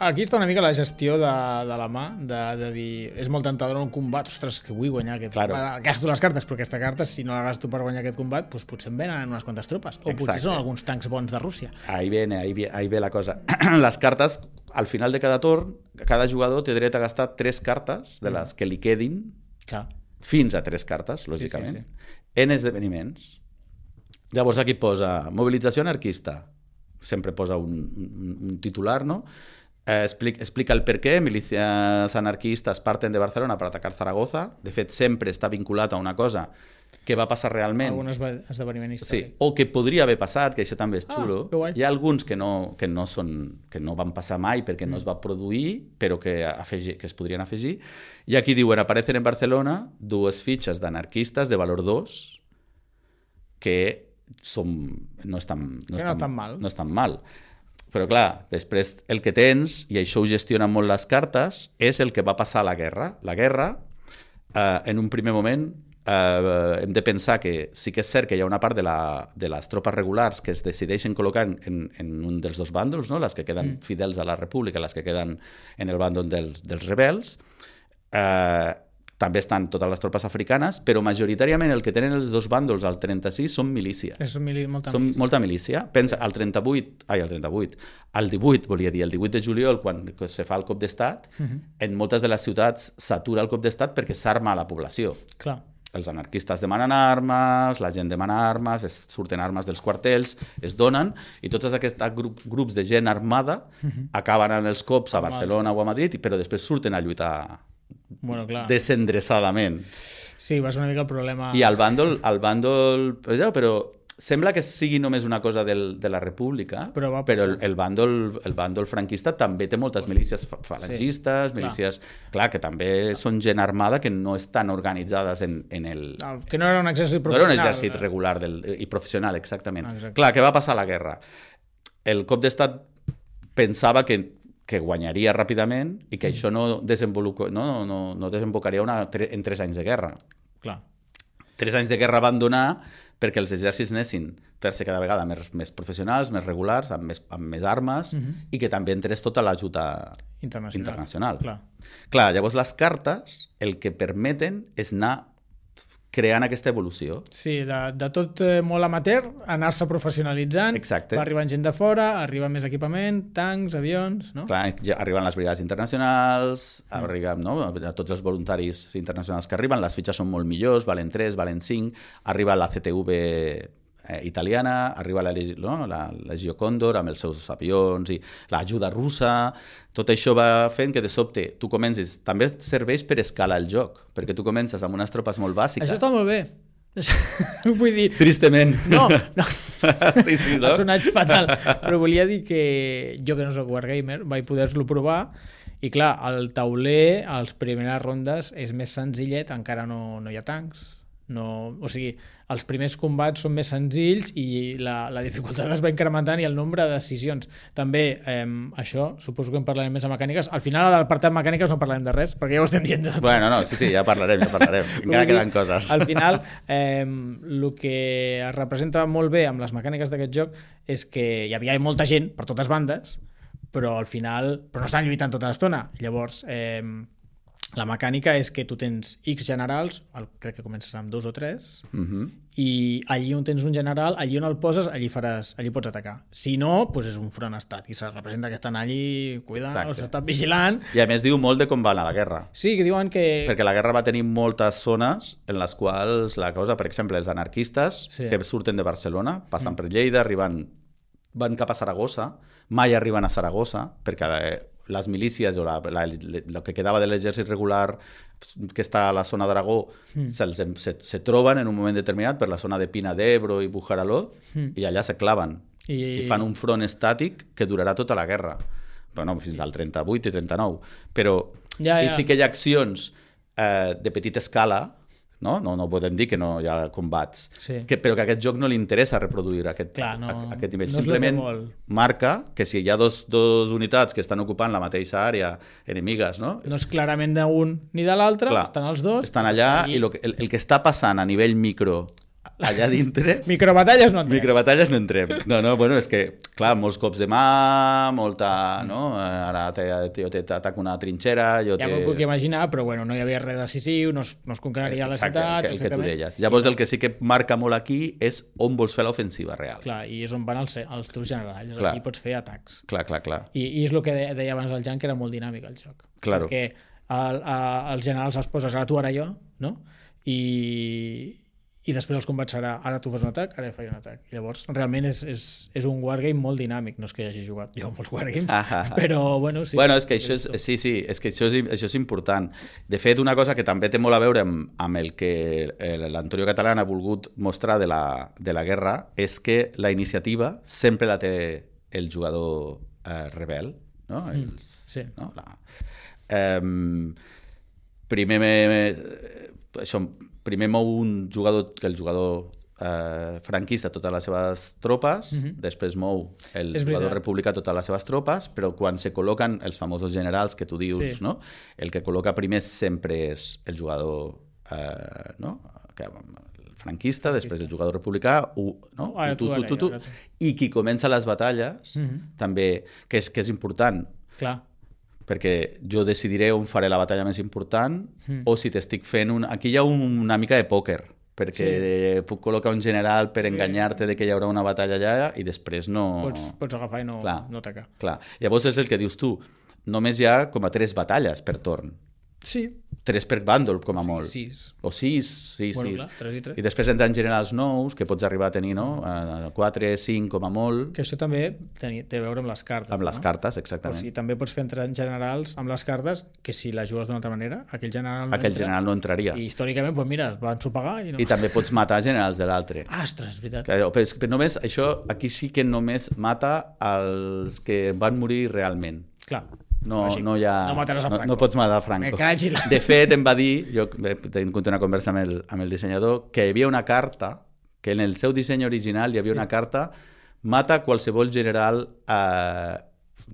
A: Aquí està una mica la gestió de, de la mà, de, de dir, és molt tentador en un combat, ostres, que vull guanyar aquest
B: Claro.
A: combat. Gasto les cartes, però aquesta carta, si no la gasto per guanyar aquest combat, doncs potser em venen unes quantes tropes. O potser
B: Exacte.
A: són alguns tancs bons de Rússia.
B: Ahí viene, ahí, ve- ahí ve la cosa. Les cartes, al final de cada torn, cada jugador té dret a gastar tres cartes de les que li quedin,
A: Clar.
B: fins a tres cartes, lògicament,
A: sí,
B: en esdeveniments. Llavors aquí posa mobilització anarquista. Sempre posa un, un, un titular, no? Eh, explica, explica el per què. Milícies anarquistes parten de Barcelona per atacar Zaragoza. De fet, sempre està vinculat a una cosa que va passar realment.
A: Algun esve- esdeveniment
B: Sí,
A: històric.
B: o que podria haver passat, que això també és
A: Ah,
B: xulo.
A: que guai.
B: Hi ha alguns que no, que no, són, que no van passar mai perquè no es va produir, però que, afegir, que es podrien afegir. I aquí diuen, aparecen en Barcelona dues fitxes d'anarquistes de valor dos que són, no estan,
A: Que no estan mal.
B: No estan mal. Però clar, després el que tens, i això ho gestionen molt les cartes, és el que va passar a la guerra. La guerra, eh, en un primer moment, eh, hem de pensar que sí que és cert que hi ha una part de, la, de les tropes regulars que es decideixen col·locar en, en un dels dos bàndols, no? Les que queden mm. fidels a la república, les que queden en el bàndol dels, dels rebels. Eh, també estan totes les tropes africanes, però majoritàriament el que tenen els dos bàndols al trenta-sis són milícies.
A: És mili molta
B: Són
A: milícia.
B: molta milícia. Pensa, al trenta-vuit, ai, al trenta-vuit, al divuit, volia dir, el divuit de juliol, quan se fa el cop d'estat, uh -huh. en moltes de les ciutats s'atura el cop d'estat perquè s'arma la població.
A: Clar.
B: Els anarquistes demanen armes, la gent demana armes, es surten armes dels quartels, es donen, i tots aquests grup, grups de gent armada uh -huh. acaben en els cops a Barcelona o a Madrid, però després surten a lluitar
A: Bueno, clar.
B: desendreçadament.
A: Sí, va ser una mica el problema...
B: I al bàndol, al bàndol però, però sembla que sigui només una cosa del, de la república,
A: Però va
B: però el,
A: passar.
B: el, bàndol, el bàndol franquista també té moltes milícies fa- falangistes,
A: Sí,
B: milícies... Clar, que també són gent armada que no estan organitzades en, en el...
A: El- Que no era un exèrcit
B: No era un
A: professional.
B: exèrcit regular del, i professional, exactament.
A: Exacte.
B: Clar, què va passar a la guerra? El cop d'estat pensava que que guanyaria ràpidament i que
A: Mm.
B: això no, desenvolupa, no, no, no desembocaria una, tre, en tres anys de guerra.
A: Clar.
B: Tres anys de guerra van donar perquè els exèrcits anessin fer-se cada vegada més, més professionals, més regulars, amb més, amb més armes,
A: Mhm.
B: i que també entrés tota l'ajuda
A: Internacional.
B: internacional.
A: Clar.
B: Clar, llavors les cartes el que permeten és anar creant aquesta evolució.
A: Sí, de, de tot eh, molt amateur, anar-se professionalitzant,
B: Exacte.
A: va arribant gent de fora, arriba més equipament, tancs, avions, no?
B: Clar, ja arriben les brigades internacionals, mm. arriben, no? A tots els voluntaris internacionals que arriben, les fitxes són molt millors, valen tres, valen cinc, arriba la C T V eh, italiana, arriba la, no? la Legió Còndor amb els seus avions i l'ajuda russa. Tot això va fent que de sobte tu comencis... També serveix per escalar el joc, perquè tu comences amb unes tropes molt bàsiques.
A: Això està molt bé. Vull dir...
B: Tristament.
A: No, no.
B: sí, sí, no?
A: Ha sonat fatal. Però volia dir que jo, que no soc wargamer, vaig poder-lo provar i clar, el tauler, a les primeres rondes, és més senzillet, encara no, no hi ha tancs. No, o sigui, els primers combats són més senzills i la, la dificultat es va incrementant i el nombre de decisions. També, eh, això, suposo que en parlarem més de mecàniques. Al final, a l'apartat mecàniques no parlarem de res, perquè ja ho estem dient de tot.
B: Bueno, no, sí, sí, ja parlarem, ja parlarem. Encara queden coses.
A: Al final, eh, el que es representa molt bé amb les mecàniques d'aquest joc és que hi havia molta gent per totes bandes, però al final però no estan lluitant tota l'estona. Llavors, eh, la mecànica és que tu tens X generals, el, crec que comences amb dos o tres,
B: Uh -huh.
A: i allí on tens un general, allí on el poses, allí faràs, allí pots atacar. Si no, doncs és un front estat i se representa que estan allí, cuida, o s'estan vigilant.
B: I a més diu molt de com va anar la guerra.
A: Sí, que diuen que...
B: Perquè la guerra va tenir moltes zones en les quals la cosa, per exemple, els anarquistes
A: Sí.
B: que surten de Barcelona, passen mm. per Lleida, arriben, van cap a Saragossa, mai arriben a Saragossa, perquè eh, les milícies o la, la, el que quedava de l'exèrcit regular que està a la zona d'Aragó mm. se, se, se troben en un moment determinat per la zona de Pina d'Ebro i Bujaraloz mm. i allà se claven I... i fan un front estàtic que durarà tota la guerra. Bueno, fins al trenta-vuit i trenta-nou. Però
A: ja, ja.
B: i sí que hi ha accions eh, de petita escala, no? No, no podem dir que no hi ha combats,
A: sí.
B: que, però que a aquest joc no li interessa reproduir aquest,
A: Clar, no,
B: a, aquest nivell.
A: no
B: Simplement
A: que
B: marca que si hi ha dos, dos unitats que estan ocupant la mateixa àrea enemigues, no?
A: No és clarament d'un ni de l'altre, estan els dos.
B: Estan allà i, i lo que, el, el que està passant a nivell micro allà dintre...
A: Microbatalles no entrem.
B: Microbatalles no entrem. No, no, bueno, és que, clar, molts cops de mà, molta... No? Ara jo t'ataco una trinxera, jo
A: ja
B: te...
A: m'ho puc imaginar, però bueno, no hi havia res decisiu, no es, no es conqueraria la
B: Exacte,
A: ciutat...
B: el, el que tu deies. Llavors el que sí que marca molt aquí és on vols fer l'ofensiva real.
A: Clar, i és on van els, els teus generals,
B: clar.
A: Aquí pots fer atacs.
B: Clar, clar, clar.
A: I, i és el que deia, deia abans el Jan, que era molt dinàmic el joc.
B: Claro.
A: Perquè el, a, els generals els poses ara tu, ara jo, no? I... i després els combats serà ara tu fas un atac, ara jo faig un atac. I llavors, realment és, és, és un wargame molt dinàmic. No és que hi hagi jugat jo a molts wargames, ah, ah, ah. però bueno, sí.
B: Bueno, és que això és, sí, sí, és que això és, això és important. De fet, una cosa que també té molt a veure amb, amb el que l'Antonio Catalán ha volgut mostrar de la, de la guerra és que la iniciativa sempre la té el jugador eh, rebel, no? Els,
A: mm, sí.
B: No? La, eh, primer me, això primer mou un jugador, que el jugador eh, franquista totes les seves tropes, mm-hmm. després mou el
A: és
B: jugador
A: veritat.
B: republicà totes les seves tropes, però quan se col·loquen els famosos generals que tu dius,
A: sí.
B: no? El que col·loca primer sempre és el jugador eh, no? que, el franquista, després el jugador republicà, u, no?
A: Ara tu,
B: tu, tu, tu, tu,
A: ara tu.
B: I qui comença les batalles, mm-hmm. també, que és, que és important,
A: clar,
B: perquè jo decidiré on faré la batalla més important mm. o si t'estic fent un... Aquí hi ha un, una mica de pòquer, perquè sí. puc col·locar un general per enganyar-te de que hi haurà una batalla allà i després no...
A: Pots, pots agafar i no,
B: clar,
A: no atacar.
B: Clar. Llavors és el que dius tu, només hi ha com a tres batalles per torn.
A: Sí.
B: Tres per bàndol, com a molt.
A: Sí, sis.
B: O sis, sí,
A: bueno,
B: sis.
A: Clar, tres i tres.
B: I després entren generals nous, que pots arribar a tenir, no? A quatre, cinc, com a molt.
A: Que això també té, té a veure amb les cartes.
B: Amb
A: no?
B: les cartes, exactament.
A: O sigui, també pots fer entrar generals amb les cartes que si la jugues d'una altra manera, aquell general no
B: aquell
A: entra,
B: general no entraria.
A: I històricament, doncs mira, es van sopegar i no...
B: I també pots matar generals de l'altre.
A: Ah, ostres, és veritat.
B: Però, però només, això, aquí sí que només mata els que van morir realment.
A: Clar.
B: No,
A: Així,
B: no, hi ha,
A: no mataràs a Franco.
B: No, no pots matar a Franco.
A: La...
B: De fet, em va dir, jo tinc una conversa amb el, amb el dissenyador, que hi havia una carta, que en el seu disseny original hi havia sí. una carta, mata qualsevol general eh,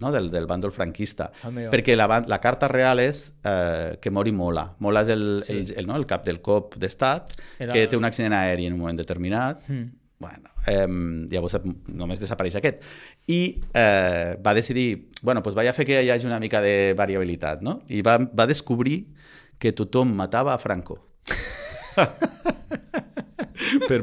B: no? del, del bàndol franquista.
A: Amigo.
B: Perquè la, la carta real és eh, que mori Mola. Mola és el,
A: Sí.
B: el, el, no? el cap del cop d'estat,
A: Era-
B: que té un accident aeri en un moment determinat.
A: Mm.
B: Bueno, eh, llavors només desapareix aquest. I eh, va decidir, bueno, pues vaig a fer que hi hagi una mica de variabilitat, no? I va, va descobrir que tothom matava a Franco. per,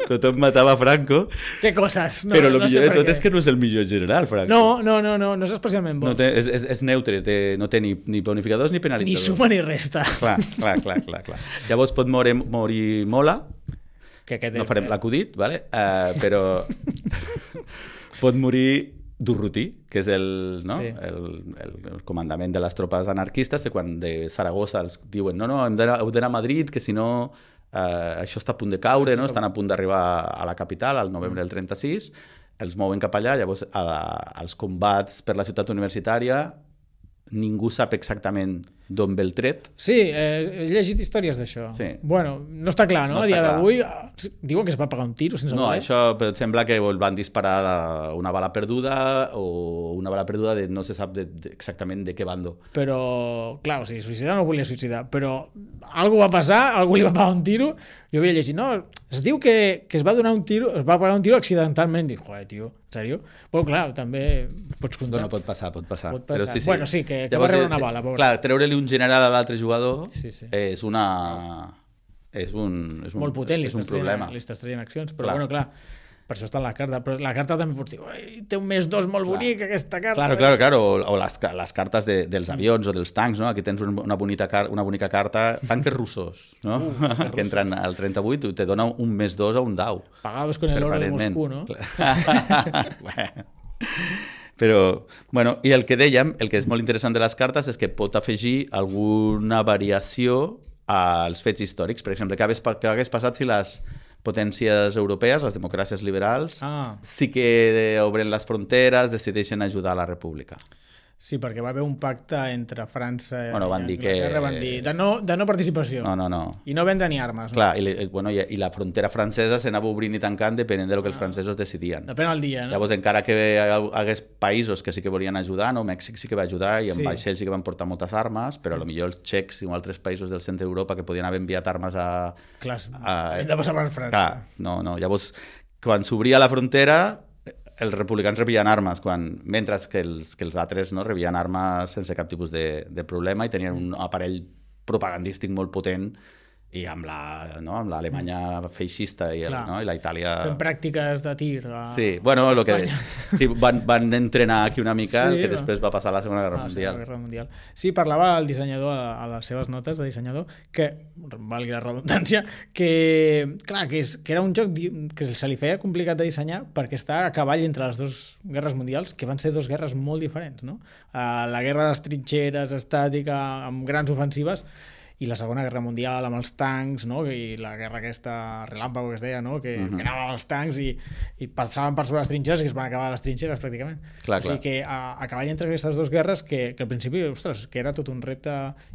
B: tothom matava a Franco,
A: Què coses? No,
B: però el
A: no sé
B: millor de
A: per
B: tot
A: què.
B: és que no és el millor general, Franco.
A: No, no, no, no, no és especialment bo.
B: No té, és, és, és neutre, té, no té ni, ni bonificadors ni
A: Ni
B: penalitzadors.
A: suma ni resta.
B: Clar, clar, clar, clar, clar. Llavors pot morir, morir Mola,
A: Que aquest
B: no
A: és-
B: farem l'acudit, vale? uh, però pot morir Durruti, que és el, no?
A: Sí.
B: el, el, el comandament de les tropes anarquistes, que quan de Saragossa els diuen no, no, hem d'anar heu d'anar a Madrid, que si no uh, això està a punt de caure, no? Estan a punt d'arribar a la capital, al novembre del trenta-sis, els mouen cap allà, llavors a, als combats per la ciutat universitària ningú sap exactament d'on ve el tret.
A: Sí, eh, he llegit històries d'això.
B: Sí.
A: Bueno, no està clar, no?
B: No
A: a dia
B: està clar.
A: d'avui ah, diuen que es va pagar un tiro sense
B: No,
A: voler.
B: això però sembla que el van disparar una bala perduda o una bala perduda de no se sap de, de, exactament de què bando.
A: Però, clar, o sigui, suïcidar no volia suïcidar, però algú va passar, algú li va pagar un tiro, jo havia llegit, no, es diu que, que es va donar un tiro, es va pagar un tiro accidentalment, dic, joder, tio, en sèrio? Però clar, també pots comptar.
B: Bueno, pot passar, pot passar.
A: Pot passar.
B: Però sí, sí.
A: Bueno, sí, que- que va
B: Llavors,
A: rebre
B: eh,
A: una bala, pobre.
B: Clar, treure-li un general a l'altre jugador
A: Sí, sí.
B: és una... És un, és un,
A: Molt potent, li
B: és un
A: estàs traient,
B: problema.
A: li estàs traient accions, però
B: Clar.
A: bueno, clar, per això està en la carta, però la carta també pots dir, "Ui, té un més dos molt bonic aquesta carta".
B: Claro, claro, claro. O, o les, ca- les cartes de, dels avions o dels tancs, no? Aquí tens un- una bonica, car una bonica carta. Tanques russos, no? Uh, que entren al trenta-vuit i te dona un més dos a un dau.
A: Pagados con el oro de
B: Permanentment.
A: Moscú, no?
B: Bueno. Però, bueno, i el que dèiem, el que és molt interessant de les cartes és que pot afegir alguna variació als fets històrics. Per exemple, què hagués, pa- què hagués passat si les potències europees, les democràcies liberals,
A: Ah.
B: sí que obren les fronteres, decideixen ajudar a la república.
A: Sí, perquè va haver un pacte entre França
B: Bueno, van
A: i
B: dir que-
A: Anglaterra, van dir de no, de no participació.
B: No, no, no.
A: I no vendre ni armes. No?
B: Clar, i, li- bueno, i, i la frontera francesa s'anava obrint i tancant depenent del que els francesos decidien.
A: Depèn del dia, no?
B: Llavors, encara que hi hagués països que sí que volien ajudar, no? Mèxic sí que va ajudar i en
A: Sí.
B: vaixells sí que van portar moltes armes, però potser els txecs i altres països del centre d'Europa que podien haver enviat armes a...
A: Clar,
B: a-
A: hem de passar per França.
B: Clar, no, no. Llavors, quan s'obria la frontera, els republicans rebien armes, quan, mentre que els, que els altres no, rebien armes sense cap tipus de, de problema i tenien un aparell propagandístic molt potent i amb la, no, amb l'Alemanya feixista i, el,
A: Clar.
B: no, i la Itàlia...
A: Fent pràctiques de tir. A...
B: Sí, bueno, lo que, sí, van, van entrenar aquí una mica,
A: Sí,
B: el que
A: va.
B: després va passar a la Segona Guerra
A: Ah, sí,
B: Mundial.
A: la Guerra Mundial. Sí, parlava el dissenyador a, a les seves notes de dissenyador que, valgui la redundància, que, clar, que, és, que era un joc di- que se li feia complicat de dissenyar perquè està a cavall entre les dues guerres mundials, que van ser dues guerres molt diferents, no? Uh, la guerra de les trinxeres estàtica, amb grans ofensives, i la Segona Guerra Mundial amb els tancs, no? I la guerra aquesta relàmpago que es deia, no? Que,
B: Mhm.
A: que anaven els tancs i, i passaven per sobre les trinxeres i es van acabar les trinxeres pràcticament.
B: Clar,
A: o sigui
B: clar.
A: que a, a cavall entre aquestes dues guerres que, que al principi, ostres, que era tot un repte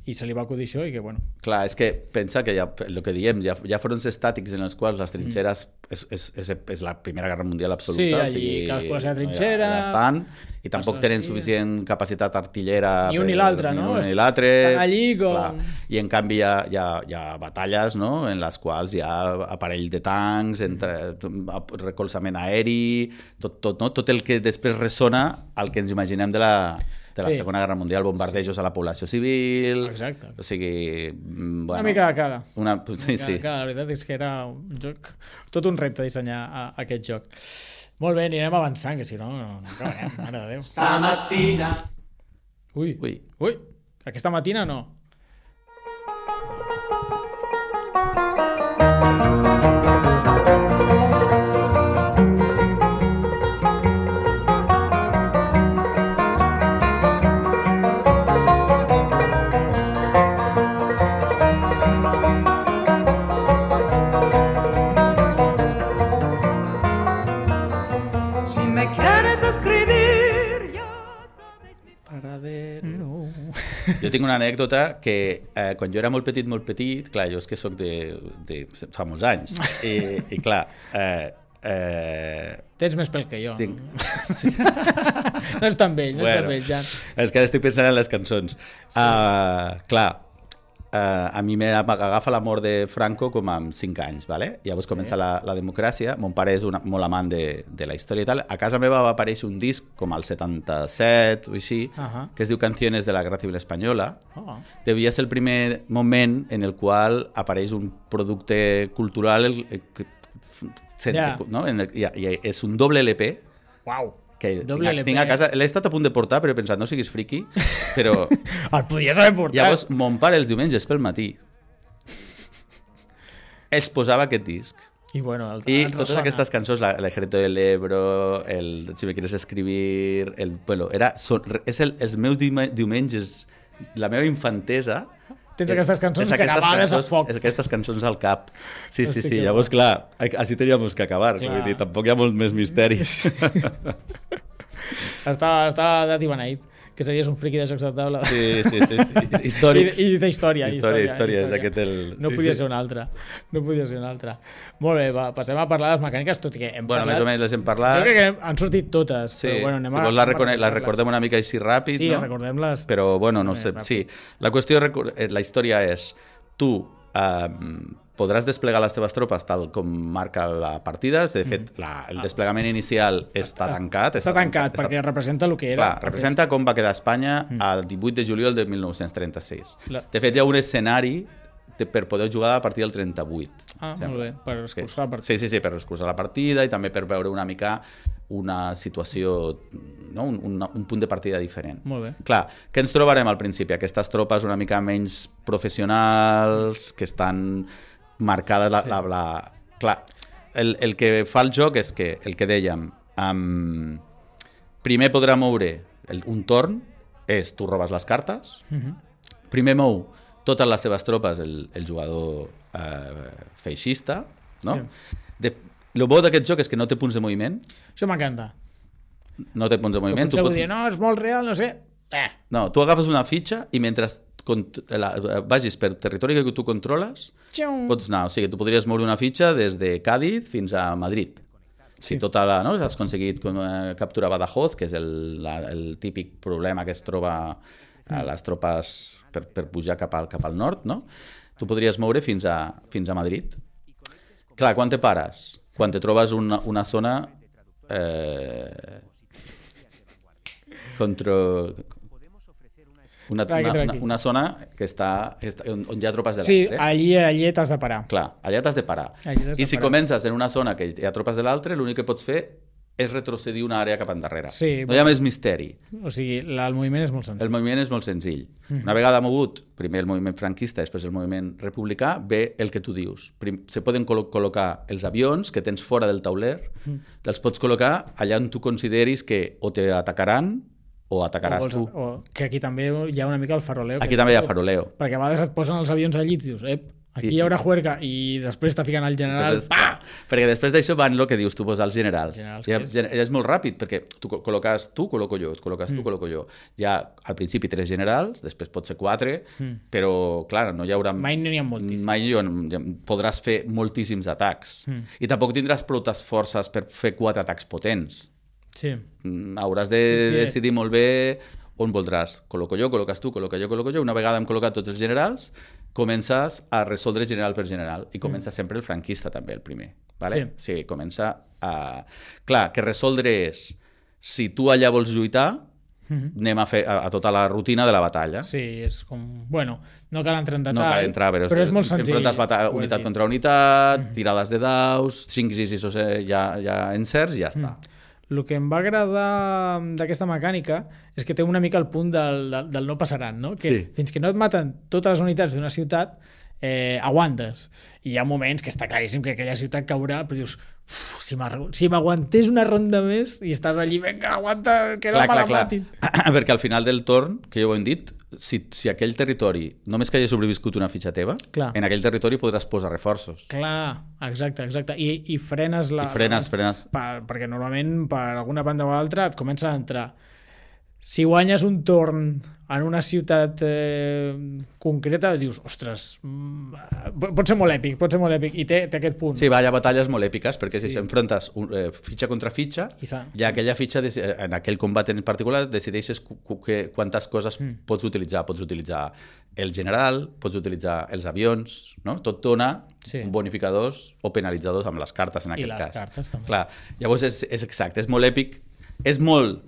A: i se li va acudir això i que, bueno,
B: Clar, és que pensa que ja, el que diem, hi ha, hi ha fronts estàtics en els quals les trinxeres mm. és, és, és, és la Primera Guerra Mundial absoluta.
A: Sí, allí cadascú a la seva trinxera,
B: Ja, ja estan, i tampoc
A: passa
B: tenen
A: aquí.
B: suficient capacitat artillera.
A: Ni un ni
B: per-
A: l'altre,
B: ni
A: no?
B: un ni l'altre.
A: Estan allí com-
B: Clar. I en canvi hi ha, hi ha, hi ha batalles, no?, en les quals hi ha aparell de tancs, entre, recolzament aeri, tot, tot, no? Tot el que després ressona al que ens imaginem de la, de la
A: Sí.
B: Segona Guerra Mundial, bombardejos a la població civil...
A: Exacte.
B: O sigui... mm, Bueno,
A: una mica de cada.
B: Una,
A: Una
B: sí,
A: mica de
B: sí.
A: cada. La veritat és que era un joc, tot un repte dissenyar a, a aquest joc. Molt bé, anirem avançant, que si no, no, no acabarem, mare de Déu.
C: Stamattina
A: Ui,
B: Ui.
A: ui, aquesta matina no.
E: Si me quieres escribir, ya sabes mi
A: No.
B: Jo tinc una anècdota que eh, quan jo era molt petit, molt petit, clar, jo és que sóc de, de fa molts anys, i, i clar, eh, Eh...
A: Tens més pèl que jo.
B: Tinc...
A: No és tan vell, no
B: bueno,
A: és tan vell, ja.
B: És que ara estic pensant en les cançons. Sí. Uh, clar, uh, a mi m'agafa la mort de Franco com amb cinc anys, ¿vale? Llavors sí. comença la, la democràcia. Mon pare és una, molt amant de, de la història i tal. A casa meva va aparèixer un disc com al setanta-set o així, uh -huh. que es diu Canciones de la Guerra Civil Espanyola. Oh. Devia ser el primer moment en el qual apareix un producte cultural el, el, sense, yeah. no? En el, i, i és un doble L P.
A: Uau!
B: Que tinc, tinc a casa, l'he estat a punt de portar, però he pensat, no siguis friqui, però...
A: El podies haver portat.
B: Llavors, mon pare els diumenges pel matí els posava aquest disc.
A: I, bueno, el,
B: I
A: el
B: totes
A: ressona.
B: aquestes cançons, el Ejército del Ebro, el Si me quieres escribir, el, bueno, era, son, és el, els meus diumenges, la meva infantesa.
A: Tens aquestes cançons gravades a foc.
B: És aquestes cançons al cap. Sí, sí, sí. Llavors, clar, així teníamos que acabar. Vull dir, tampoc hi ha molts més misteris.
A: Estava, estava dat i beneït, que series un friqui de jocs de taula.
B: Sí, sí, sí. sí. Històrics.
A: I, I d'història.
B: Història, història. És aquest el...
A: No
B: sí,
A: podia
B: sí.
A: ser un altre. No podia ser un altre. Molt bé, va, passem a parlar de les mecàniques, tot i que hem
B: bueno,
A: parlat...
B: més o menys les hem parlat.
A: Jo crec que han sortit totes,
B: sí.
A: però bueno, anem
B: si
A: a...
B: vols la, recone... la recordem una mica així ràpid,
A: sí,
B: no?
A: Sí, recordem-les.
B: Però, bueno, no sé, sí. La qüestió, la història és, tu eh, podràs desplegar les teves tropes tal com marca la partida. De fet, la, el desplegament inicial està tancat.
A: Està, està tancat, està, perquè està... representa el que era.
B: Clar, representa com va quedar Espanya el divuit de juliol de mil nou-cents trenta-sis. La... De fet, hi ha un escenari de, per poder jugar a partir del trenta-vuit.
A: Ah, sembla. Molt bé, per escurçar
B: sí.
A: la partida.
B: Sí, sí, sí, per escurçar la partida i també per veure una mica una situació, no? un, un, un punt de partida diferent.
A: Molt bé.
B: Clar, què ens trobarem al principi? Aquestes tropes una mica menys professionals, que estan marcades la... Sí. la, la... Clar, el, el que fa el joc és que, el que dèiem, um, primer podrà moure el, un torn, és tu robes les cartes, uh-huh. primer mou totes les seves tropes el, el jugador eh, feixista, no? Sí. De, el bo d'aquest joc és que no té punts de moviment.
A: Això m'encanta.
B: No té punts de moviment.
A: Tu pots... dir, no, és molt real, no sé. Eh.
B: No, tu agafes una fitxa i mentre la, vagis per territori que tu controles, Xium. pots anar. O sigui, tu podries moure una fitxa des de Cádiz fins a Madrid. Si sí. tota la, no, has aconseguit eh, capturar Badajoz, que és el, la, el típic problema que es troba a les tropes per, per pujar cap al, cap al nord, no? Tu podries moure fins a, fins a Madrid. Clar, quan te pares? Quan te trobes una, una zona eh, contra... Una, una, una, una zona que està, està on, on hi ha tropes de l'altre.
A: Sí, allí, allí t'has de parar.
B: Clar, allà t'has de parar.
A: De
B: I si
A: parar.
B: comences en una zona que hi ha tropes de l'altre, l'únic que pots fer és retrocedir una àrea cap endarrere.
A: Sí,
B: no hi ha més misteri.
A: O sigui, la, el moviment és molt senzill.
B: El moviment és molt senzill. Mm. Una vegada mogut, primer el moviment franquista, després el moviment republicà, ve el que tu dius. Prim, se poden col col·locar els avions que tens fora del tauler, mm. te'ls pots col·locar allà on tu consideris que o te atacaran o atacaràs o vols, tu.
A: O, que aquí també hi ha una mica el faroleo.
B: Aquí també hi ha faroleo.
A: Perquè a vegades et posen els avions allí i dius, ep, aquí I, hi haurà juerga, i després te fiquen el general.
B: Després, perquè després d'això van el que dius tu, posar els generals. generals I és... és molt ràpid, perquè tu col·loques tu, col·loco jo, col·loques mm. tu, col·loco jo. Hi ha al principi tres generals, després pot ser quatre, mm. però clar, no hi haurà...
A: Mai n'hi ha moltíssims.
B: Mai hi podràs fer moltíssims atacs. Mm. I tampoc tindràs proutes forces per fer quatre atacs potents.
A: Sí.
B: Hauràs de sí, sí. decidir molt bé on voldràs. Col·loco jo, col·loques tu, col·loco jo, col·loco jo. Una vegada hem col·locat tots els generals, comences a resoldre general per general. I comença mm. sempre el franquista, també, el primer. Vale? Sí. Sí, comença a... Clar, que resoldre és, si tu allà vols lluitar, mm-hmm. anem a fer a, a tota la rutina de la batalla.
A: Sí, és com... Bueno, no cal entrar en detall,
B: no cal entrar, però,
A: però és molt senzill.
B: Enfrontes unitat contra unitat, mm-hmm. tirades de daus, cinc sis sis ja, ja encerts i ja està. Mm.
A: El que em va agradar d'aquesta mecànica és que té una mica el punt del, del, del no passaran, no? Que
B: sí.
A: fins que no et maten totes les unitats d'una ciutat, eh, aguantes. I hi ha moments que està claríssim que aquella ciutat caurà, però dius, si m'aguantés si una ronda més i estàs allí, vinga, aguanta, que no me la matin.
B: Perquè al final del torn, que ja ho hem dit, si, si aquell territori només que hagi sobreviscut una fitxa teva, clar. En aquell territori podràs posar reforços.
A: Clar, exacte, exacte. I, i frenes la...
B: I frenes, frenes.
A: Per, perquè normalment per alguna banda o altra et comença a entrar. si guanyes un torn en una ciutat eh, concreta, dius, ostres, mm, pot ser molt èpic, pot ser molt èpic, i té, té aquest punt.
B: Sí, va, hi ha batalles molt èpiques, perquè
A: Sí.
B: si s'enfrontes un, eh, fitxa contra fitxa,
A: I sa-
B: i aquella fitxa, deci- en aquell combat en particular, decideixes cu- cu- que, quantes coses
A: Mm.
B: pots utilitzar. Pots utilitzar el general, pots utilitzar els avions, no? Tot dona
A: Sí.
B: bonificadors o penalitzadors amb les cartes, en
A: I
B: aquest
A: les
B: cas.
A: cartes, també.
B: Clar, llavors és, és exacte, és molt èpic, és molt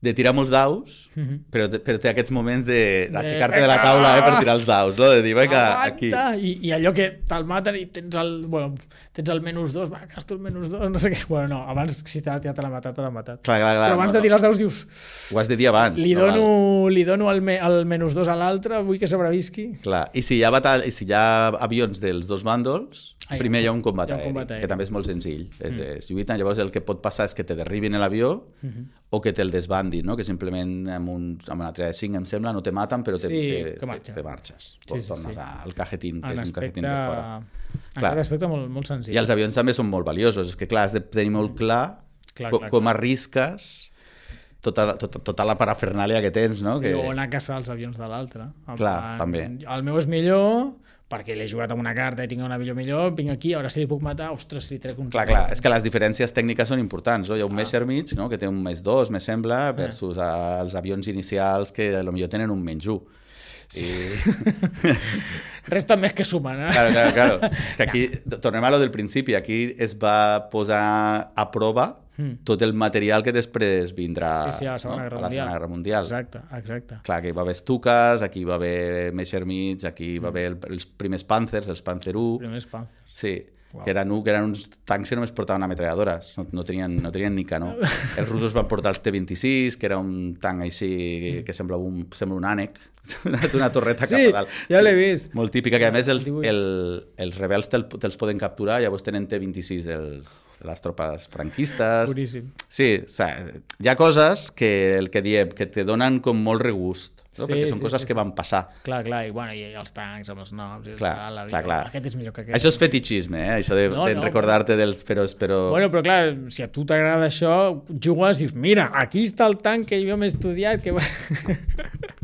B: de tirar molts daus,
A: Mhm.
B: però, te- però té aquests moments de d'aixecar-te de la taula eh, per tirar els daus, no? De dir, vinga, aquí.
A: Aguanta! I, I allò que te'l maten i tens el, bueno, tens el menys dos, va, gasto el menys dos, no sé què. Bueno, no, abans si te, ja te l'ha matat, te l'ha matat.
B: Clar, clar, clar,
A: Però abans
B: no,
A: de tirar els daus dius,
B: Ho has de dir abans.
A: li
B: no
A: dono, li dono el, me, el menys dos a l'altre, vull que sobrevisqui.
B: Clar, i si hi ha, batall... I si hi ha avions dels dos bàndols,
A: Ah,
B: primer hi ha un combat,
A: hi ha un
B: aeri,
A: combat aeri.
B: que també és molt senzill. Mm. És, és lluita, llavors el que pot passar és que te derribin l'avió
A: Mhm.
B: o que te'l desbandin, no? Que simplement amb, un, amb una treva de cinc, em sembla, no te maten, però te,
A: Sí,
B: te,
A: que marxa.
B: te marxes.
A: Sí, sí,
B: Tornes
A: sí.
B: al cajetín, que
A: En
B: és un cajetín
A: aspecte,
B: de fora.
A: en
B: Clar.
A: aquest aspecte molt, molt senzill.
B: I els avions també són molt valiosos. És que, clar, has de tenir molt clar,
A: Clar,
B: co
A: clar,
B: com
A: clar.
B: arrisques tota, la- tota, tota la parafernàlia que tens, no?
A: Sí,
B: que...
A: o anar a caçar els avions de l'altre. En
B: Clar,
A: plan,
B: també.
A: El meu és millor perquè l'he jugat amb una carta i tinc un avió millor, vinc aquí, ara si li puc matar, ostres, si trec un...
B: Clar, clar, és que les diferències tècniques són importants, no? Hi ha un Messerschmitt, no?, que té un més dos, me sembla, versus eh, els avions inicials que potser tenen un menys un. I...
A: Resta més que sumen, eh?
B: Claro, claro, claro. Que aquí, tornem a lo del principi, aquí es va posar a prova
A: Mm.
B: tot el material que després vindrà
A: Sí, sí, a la Segona
B: no?
A: Guerra
B: a la
A: Mundial.
B: Segona Guerra Mundial.
A: Exacte, exacte.
B: Clar, aquí hi va haver Stukas, aquí hi va haver Messerschmitts, aquí hi va haver el, els primers Panzers, els Panzer u.
A: Primers Panzers.
B: Sí,
A: Wow.
B: que eren, que eren uns tancs que només portaven ametralladores, no, no, tenien, no tenien ni canó. Els russos van portar els T vint-i-sis, que era un tanc així que sembla un, sembla un ànec, una torreta
A: Sí,
B: cap a dalt.
A: ja l'he vist.
B: Molt típica, que a més els,
A: dibuix.
B: el, els rebels te'l te'ls poden capturar, llavors tenen T vint-i-sis els, les tropes franquistes.
A: Boníssim.
B: Sí, o sigui, hi ha coses que el que diem, que te donen com molt regust, no?
A: Sí,
B: Perquè són
A: sí,
B: coses
A: sí,
B: que
A: sí.
B: van passar.
A: Clar, clar, i, bueno, i els tancs amb els noms. I
B: Clar,
A: tal, la
B: clar,
A: vida.
B: clar.
A: Aquest és millor que aquest.
B: Això és fetichisme, eh? Això de,
A: No,
B: de
A: no,
B: recordar-te dels... Però, però...
A: Bueno, però clar, si a tu t'agrada això, jugues i dius, mira, aquí està el tanc que jo m'he estudiat, que...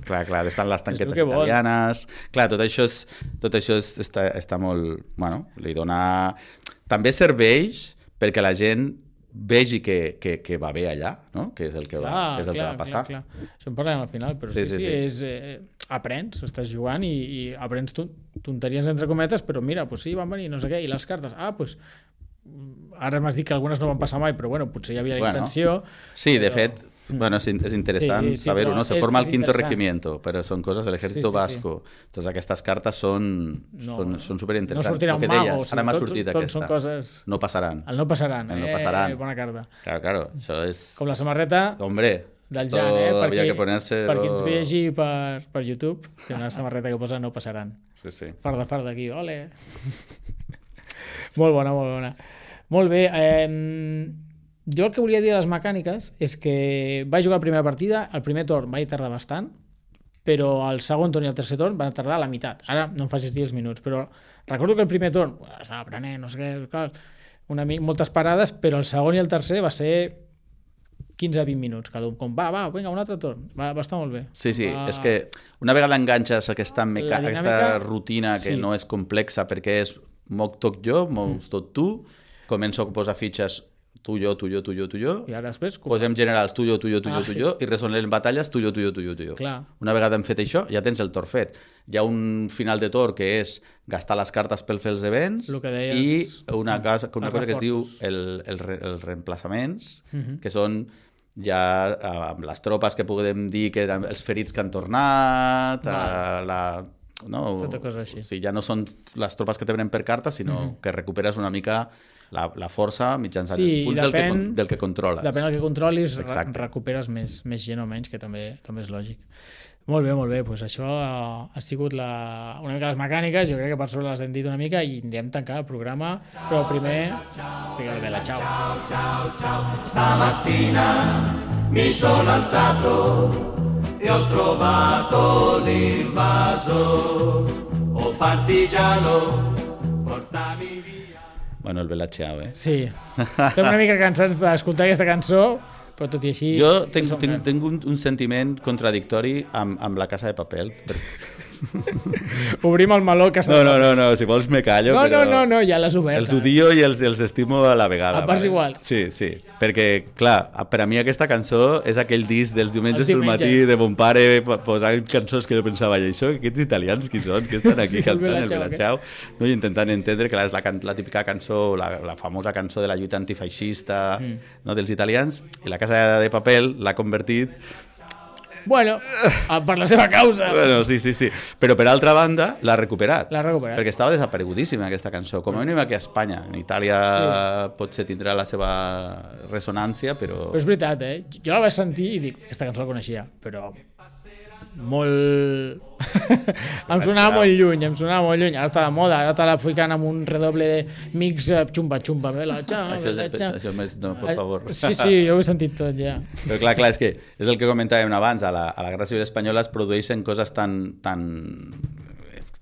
B: Clar, clar, estan les tanquetes
A: que vols.
B: italianes... Clar, tot això, és, tot això és, està, està molt... Bueno, li dona... També serveix perquè la gent vegi que, que, que va bé allà, no? Que és el que, va, que, és el
A: clar,
B: que va passar.
A: Clar, clar. Això en parlem al final, però
B: Sí,
A: sí, sí,
B: sí,
A: sí,
B: sí.
A: és... Eh, aprens, estàs jugant i, i aprens ton- tonteries entre cometes, però mira, pues sí, van venir, no sé què, i les cartes, ah, pues ara m'has dit que algunes no van passar mai, però bueno, potser hi havia la
B: Bueno,
A: intenció.
B: Sí, de
A: però-
B: fet, bueno, és, in- és interessant
A: Sí, sí,
B: saber-ho,
A: però
B: no? Se
A: és-
B: forma el
A: és
B: quinto
A: interessant.
B: regimiento, però són coses de l'ejército
A: Sí, sí, sí.
B: vasco. Totes aquestes cartes són,
A: No,
B: són, són superinteressants.
A: no sortirà
B: El que
A: un mago,
B: deies,
A: o sigui,
B: ara m'ha
A: tot-
B: sortit
A: tot
B: aquesta.
A: són coses-
B: No passaran.
A: El no passaran,
B: El no
A: eh,
B: passaran.
A: bona carta.
B: Claro, claro, això és...
A: Com la samarreta
B: Hombre,
A: del
B: esto
A: Jan, eh? Per
B: había
A: qui,
B: que ponerse...
A: per qui ens vegi per, per YouTube, té una samarreta que posa no passaran.
B: Sí, sí.
A: Farda, farda, aquí, ole! Molt bona, molt bona. Molt bé. Eh, jo el que volia dir de les mecàniques és que vaig jugar la primera partida, el primer torn vaig tardar bastant, però el segon torn i el tercer torn van tardar la meitat. Ara no em facis dir els minuts, però recordo que el primer torn bueno, estava aprenent, no sé què, clar, una, mi- moltes parades, però el segon i el tercer va ser quinze a vint minuts cada un. Com, va, va, vinga, un altre torn. Va, va estar molt bé.
B: Sí, sí,
A: va...
B: és que una vegada enganxes aquesta, meca...
A: La dinàmica-
B: aquesta rutina que
A: sí.
B: no és complexa perquè és moc tot jo, mous tot tu, començo a posar fitxes tu, jo, tu, jo, tu, jo, tu, jo,
A: I ara després...
B: posem generals tu, jo, tu, jo, tu,
A: Ah,
B: jo, tu,
A: sí.
B: jo, i resonem batalles tu, jo, tu, jo, tu, jo, tu, jo.
A: Clar.
B: Una vegada hem fet això, ja tens el torn fet. Hi ha un final de torn que és gastar les cartes per fer els events
A: Lo que deies,
B: i una cosa, una
A: els
B: cosa que es diu
A: reforços.
B: el, el, re- els reemplaçaments,
A: Mhm.
B: que són ja eh, amb les tropes que podem dir que eren els ferits que han tornat, a la... No,
A: Tota cosa així.
B: o sigui, ja no són les tropes que te venen per carta, sinó que recuperes una mica la, la força mitjançant
A: Sí,
B: els
A: i
B: punts del, que,
A: depèn-
B: con- del que controles.
A: Depèn del que controlis, re
B: Exacte.
A: recuperes més, més gent o menys, que també també és lògic. Molt bé, molt bé. Pues això ha, ha sigut la, una mica les mecàniques. Jo crec que per sobre les hem dit una mica i anirem tancant el programa. Però primer, fica la vela. Ciao.
F: Stamattina mi sono alzato e ho trovato l'invaso. Oh partigiano, portami via.
B: Bueno, el Bella Ciao, eh?
A: Sí, estem una mica cansats d'escoltar aquesta cançó, però tot i així...
B: Jo tinc,
A: són
B: tinc,
A: grans.
B: tinc un, un sentiment contradictori amb, amb la Casa de Papel.
A: Obrim el meló que s'ha...
B: No, no, no, no, si vols me callo,
A: no,
B: però...
A: no, no, no, ja l'has obert.
B: Els odio i els, els estimo a la vegada.
A: A parts
B: vale?
A: iguals.
B: Sí, sí, perquè, clar, per a mi aquesta cançó és aquell disc dels diumenges
A: Els
B: pel
A: diumenges.
B: matí de mon pare po- posant cançons que jo pensava, i això, aquests italians qui són, que estan aquí
A: Sí, el
B: cantant el
A: Bella Ciao,
B: Bella Ciao, no? I intentant entendre que clar, és la, can- la típica cançó, la, la famosa cançó de la lluita antifeixista mm. no, dels italians, i la Casa de Papel l'ha convertit
A: Bueno, per la seva causa.
B: Bueno, sí, sí, sí. Però per altra banda, l'ha recuperat.
A: L'ha recuperat.
B: Perquè estava desaparegudíssima aquesta cançó. Com a mínim aquí a Espanya. En Itàlia sí. potser tindrà la seva ressonància, però...
A: Però és veritat, eh? Jo la vaig sentir i dic, aquesta cançó la coneixia, però molt... em sonava molt lluny, em sonava molt lluny. Ara està de moda, ara te la ficant amb un redoble de mix eh, xumba-xumba. Bella Ciao,
B: Això,
A: Bella
B: és,
A: Ciao.
B: això més, no, per favor.
A: Sí, sí, jo ho he sentit tot ja.
B: Però clar, clar, és que és el que comentàvem abans, a la, a la Guerra Civil Espanyola es produeixen coses tan, tan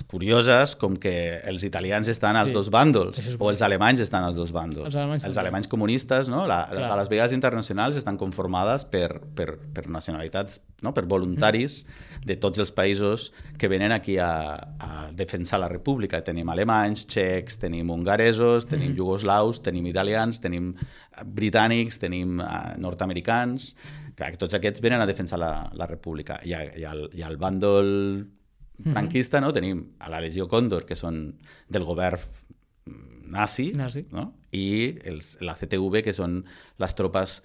B: curioses com que els italians estan als
A: Sí.
B: dos bàndols,
A: Això és
B: o els alemanys estan als dos bàndols.
A: Els alemanys
B: els
A: també.
B: alemanys comunistes, no? La, les,
A: Clar.
B: les brigades internacionals estan conformades per, per, per nacionalitats, no? Per voluntaris mm. de tots els països que venen aquí a, a defensar la república. Tenim alemanys, txecs, tenim hongaresos, tenim mm. jugoslaus, tenim italians, tenim britànics, tenim uh, nord-americans. Clar, que tots aquests venen a defensar la, la república. I, a, i, al, i al bàndol franquista, no? Tenim a la Legió Còndor, que són del govern nazi,
A: Nazi.
B: no? I els, la C T V, que són les tropes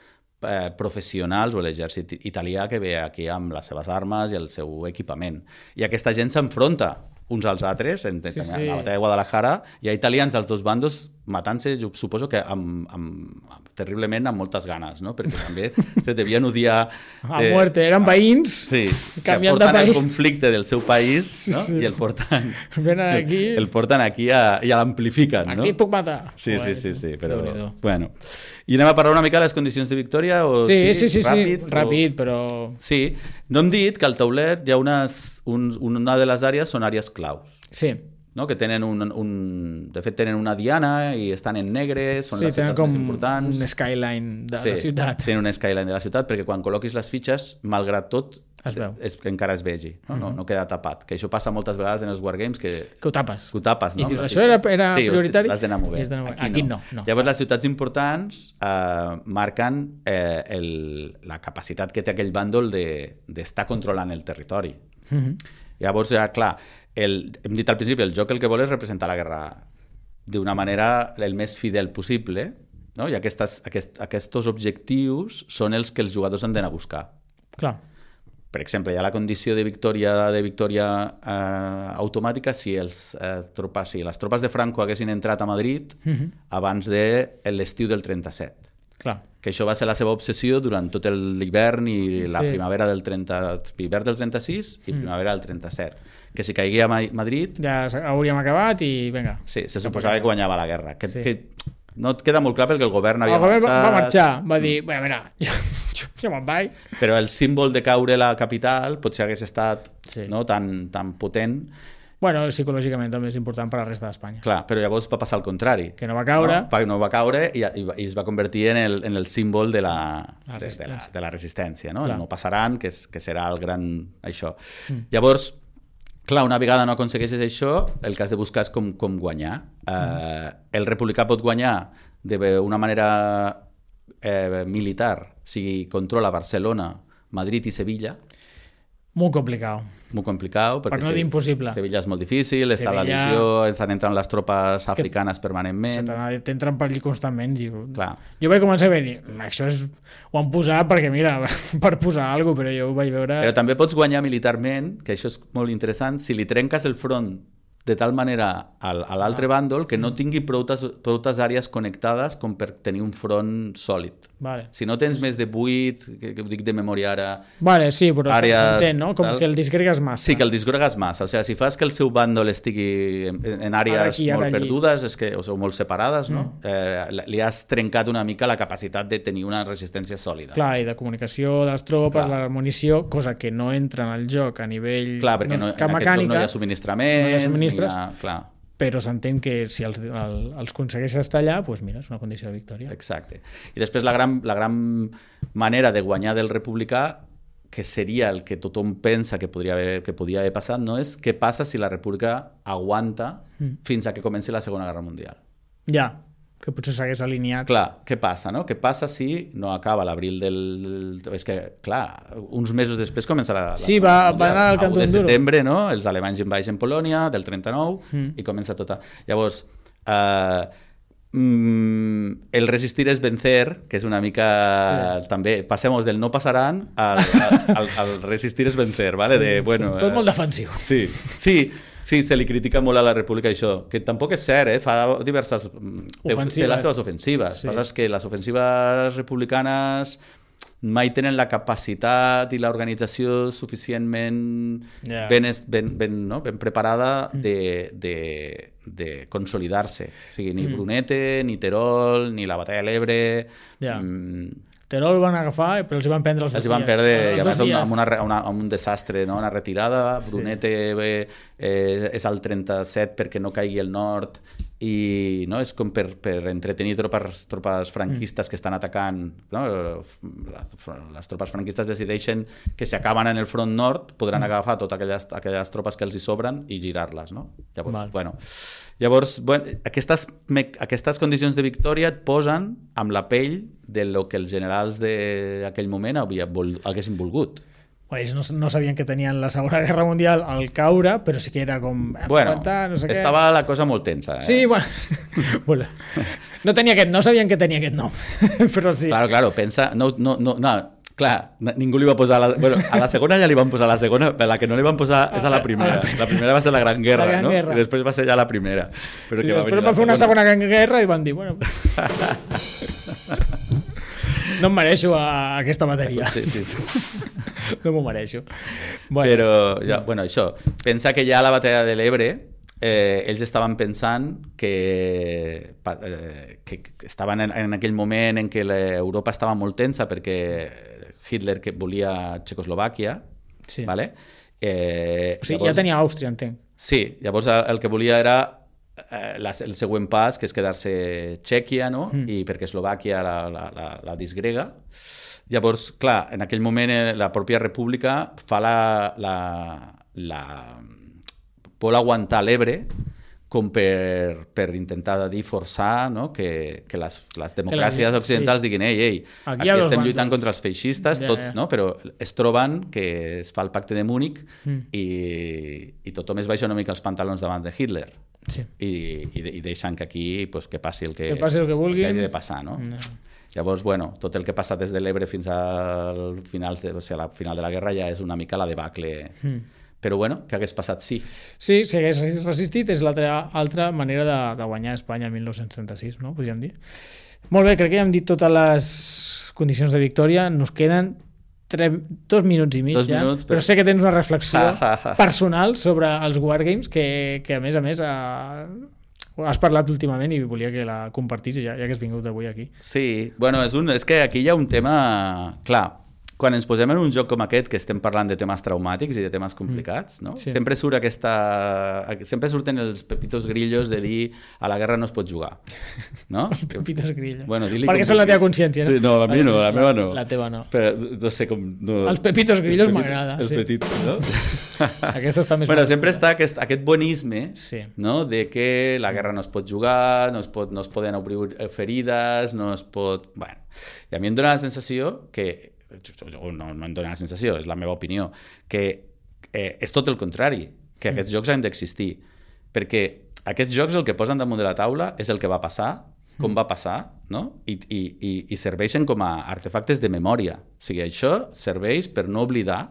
B: eh, professionals o l'exèrcit italià que ve aquí amb les seves armes i el seu equipament. I aquesta gent s'enfronta uns als altres, en,
A: Sí,
B: en,
A: sí.
B: en la batalla de Guadalajara, hi ha italians dels dos bandos matant-se, jo suposo que amb, amb, amb, terriblement amb moltes ganes, no? Perquè també se devien odiar...
A: A muerte, eren veïns,
B: Sí,
A: canviant
B: que
A: de
B: porten el
A: país.
B: conflicte del seu país,
A: Sí,
B: no?
A: sí.
B: I el porten,
A: Venen aquí...
B: el porten aquí a, i l'amplifiquen, no?
A: Aquí et puc matar.
B: Sí, sí,
A: Joder,
B: sí, sí, però...
A: Déu-n'hi-do.
B: Bueno. I anem a parlar una mica de les condicions de victòria? O
A: Sí, sí, sí, sí,
B: ràpid,
A: ràpid,
B: o...
A: ràpid, però...
B: Sí, no hem dit que al tauler hi ha unes, un, una de les àrees són àrees claus,
A: Sí,
B: no? Que tenen un, un... De fet, tenen una diana i estan en negre, són
A: sí
B: les
A: tenen
B: ciutats
A: com
B: més importants.
A: un skyline de
B: Sí,
A: la ciutat.
B: tenen un skyline de la ciutat, perquè quan col·loquis les fitxes, malgrat tot,
A: Es veu.
B: és que encara es vegi, no? No, no queda tapat. Que això passa moltes vegades en els wargames, que
A: Que ho tapes.
B: que ho tapes, no?
A: I dius,
B: La
A: això
B: fitxa.
A: era, era
B: sí,
A: prioritari?
B: l'has d'anar movent.
A: I has d'anar movent. Aquí no, no.
B: Llavors, les ciutats importants eh, marquen eh, el, la capacitat que té aquell bàndol de- d'estar controlant el territori.
A: Mhm.
B: Llavors, ja, clar, el, hem dit al principi, el joc el que vol és representar la guerra d'una manera el més fidel possible, no? I aquestes, aquest, aquests objectius són els que els jugadors han d'anar a buscar.
A: Clar.
B: Per exemple, hi ha la condició de victòria de victòria eh, automàtica si, els, eh, tropes, si les tropes de Franco haguessin entrat a Madrid
A: Mhm.
B: abans de l'estiu del trenta-set.
A: Clar.
B: Que això va ser la seva obsessió durant tot l'hivern i la
A: Sí.
B: primavera del trenta, hivern del trenta-sis i primavera del trenta-set. Que si caiguia a Ma- Madrid,
A: Ja s- hauríem acabat i vinga.
B: sí, se suposava que guanyava la guerra. Que,
A: Sí.
B: que no et queda molt clar perquè el govern havia
A: El govern va,
B: marxat,
A: va marxar, va dir, bueno, mira, jo, jo me'n vaig.
B: però el símbol de caure la capital potser hagués estat
A: Sí.
B: no, tan, tan potent.
A: Bueno, psicològicament també és important per a la resta d'Espanya.
B: Clar, però llavors va passar el contrari.
A: Que no va caure.
B: No, Va- no va caure i, i, va- i es va convertir en el, en el símbol de la,
A: La
B: de, de, la,
A: resistència.
B: de la resistència, no?
A: Clar.
B: El no passaran, que, és, que serà el gran... això. Mm. Llavors, clar, una vegada no aconsegueixes això, el que has de buscar és com, com guanyar. Mm. Eh, el republicà pot guanyar d'una manera eh, militar si controla Barcelona, Madrid i Sevilla.
A: Molt complicat.
B: Molt complicat.
A: Per no dir impossible.
B: Sevilla és molt difícil, està la
A: Sevilla-
B: legió, estan entrant les tropes africanes permanentment.
A: T'entren per allí constantment. Diu.
B: Clar.
A: Jo vaig començar a dir, això és... ho han posat perquè, mira, per posar alguna cosa, però jo ho vaig veure...
B: Però també pots guanyar militarment, que això és molt interessant, si li trenques el front de tal manera al, a l'altre
A: Ah.
B: bàndol que no tingui proutes, proutes àrees connectades com per tenir un front sòlid.
A: Vale.
B: Si no tens més de vuit, que, que ho dic de memòria ara...
A: Vale, sí, però
B: Àrees,
A: s'entén, no? Com
B: tal.
A: que el disgregues massa.
B: Sí, que el disgregues massa. O sigui, si fas que el seu bàndol estigui en, en àrees
A: Ara aquí, ara
B: molt
A: allí.
B: perdudes, és que, o sigui, molt separades, no? Mm. Eh, li has trencat una mica la capacitat de tenir una resistència sòlida.
A: Clar, i de comunicació de les tropes,
B: Clar.
A: la munició, cosa que no entra en el joc a nivell
B: Clar, perquè no,
A: cap
B: en aquest
A: mecànica.
B: joc no hi ha subministraments,
A: no hi ha subministres.
B: Ni hi ha, clar.
A: però s'entén que si els, el, els aconsegueix estar allà, doncs mira, és una condició de victòria.
B: Exacte. I després la gran, la gran manera de guanyar del republicà, que seria el que tothom pensa que podria haver, que podia haver passat, no és què passa si la república aguanta mm. fins a que comenci la Segona Guerra Mundial.
A: Ja, que potser s'hagués alineat.
B: Clar, què passa, no? Què passa si no acaba l'abril del... És que, clar, uns mesos després començarà la...
A: Sí, va, va anar al cantó
B: de
A: duro.
B: setembre, no? Els alemanys invadeixen Polònia, del trenta-nou, mm. i comença tota... Llavors, eh, mm, el resistir és vencer, que és una mica... Sí. També, passemos del no passaran al, al, al resistir és vencer, ¿vale?
A: Sí,
B: de, bueno,
A: tot, tot molt defensiu.
B: Sí, sí. Sí, se li critica molt a la República això, que tampoc és cert, eh? Fa diverses... Ofensives. Té les seves ofensives. Sí. Passa que les ofensives republicanes mai tenen la capacitat i l'organització suficientment yeah. ben, ben, ben, no? ben preparada de, de, de consolidar-se. O sigui, ni mm. Brunete, ni Terol, ni la Batalla de l'Ebre... Yeah. Mm,
A: Terol van agafar, però els hi van prendre els dos dies.
B: Els hi van perdre, i a més amb, una, una, amb un desastre, no? Una retirada. Sí. Brunete eh, eh, és al trenta-set perquè no caigui el nord i no? És com per, per entretenir tropes, tropes franquistes mm. que estan atacant, no? les, les tropes franquistes decideixen que si acaben en el front nord podran mm. agafar totes aquelles, aquelles tropes que els hi sobren i girar-les, no? Llavors, Val. bueno, llavors bueno, aquestes, aquestes condicions de victòria et posen amb la pell de lo que els generals d'aquell moment havia, vol, haguessin volgut.
A: Ells no, no sabien que tenien la Segona Guerra Mundial al caure, però sí que era com...
B: Bueno,
A: aguantar, no sé
B: estava
A: què.
B: La cosa molt tensa. Eh?
A: Sí, bueno, bueno no, tenia aquest, no sabien que tenia aquest nom, però sí.
B: Claro, claro, pensa... No, no, no, no, clar, ningú li va posar... La, bueno, a la segona ja li van posar la segona, però la que no li van posar és a la primera. A la, la primera va ser la Gran Guerra, la Gran no? Guerra. I després va ser ja la primera. Però
A: I
B: que
A: després
B: va,
A: va fer una segona Gran Guerra i van dir, bueno... No em mereixo a aquesta matèria. Sí, sí, sí. No m'ho mereixo.
B: Bueno. Però, ja, bueno, això, pensa que ja a la batalla de l'Ebre eh, ells estaven pensant que, eh, que estaven en, en aquell moment en què l'Europa estava molt tensa perquè Hitler que volia Txecoslovàquia, sí. ¿vale? Eh,
A: o sigui,
B: llavors,
A: ja tenia Àustria, entenc.
B: Sí, llavors el que volia era eh, la, el següent pas, que és quedar-se Txèquia, no? Mm. I perquè Eslovàquia la, la, la, la disgrega. Llavors, clar, en aquell moment la pròpia república fa la, la, la... vol aguantar l'Ebre com per, per intentar dir, forçar, no? que, que les, les democràcies la, occidentals sí. diguin ei, ei, aquí, aquí estem lluitant contra els feixistes, ja, tots, ja. no? Però es troben que es fa el pacte de Múnich mm. i, i tothom es baixa una mica els pantalons davant de Hitler. Sí. I, i, i deixen que aquí pues, que passi el que,
A: que, passi el que, vulguin.
B: que hagi de passar, no? no. Llavors, bueno, tot el que passa des de l'Ebre fins al final de, o sigui, a la final de la guerra ja és una mica la debacle. Mm. Però, bueno, què hagués passat sí?
A: Sí, si hagués resistit és l'altra altra manera de, de guanyar Espanya el dinou trenta-sis, no? Podríem dir. Molt bé, crec que ja hem dit totes les condicions de victòria. Nos queden tres, dos minuts i mig dos ja, minuts, però... però sé que tens una reflexió personal sobre els Wargames que, que a més a més... A... has parlat últimament i volia que la compartís ja, ja que has vingut avui aquí.
B: Sí, bueno, és, un, és que aquí hi ha un tema... Clar, quan ens posem en un joc com aquest, que estem parlant de temes traumàtics i de temes complicats, no? Sí. Sempre surt aquesta... Sempre surten els pepitos grillos de dir a la guerra no es pot jugar, no?
A: Els pepitos grillos.
B: Bueno,
A: perquè són la teva consciència, no?
B: Sí, no, a mi no, la meva no.
A: La teva no.
B: Però no sé com... No...
A: Els pepitos grillos m'agrada.
B: Els
A: sí.
B: petitos, no?
A: Aquesta està més...
B: Bueno, sempre està aquest, aquest bonisme,
A: sí.
B: no? De que la guerra no es pot jugar, no es, pot, no es poden obrir ferides, no es pot... Bueno, i a mi em dóna la sensació que no, no em dóna la sensació, és la meva opinió, que eh, és tot el contrari, que aquests mm. jocs han d'existir, perquè aquests jocs el que posen damunt de la taula és el que va passar, com mm. va passar, no? I, i, i, i serveixen com a artefactes de memòria. O sigui, això serveix per no oblidar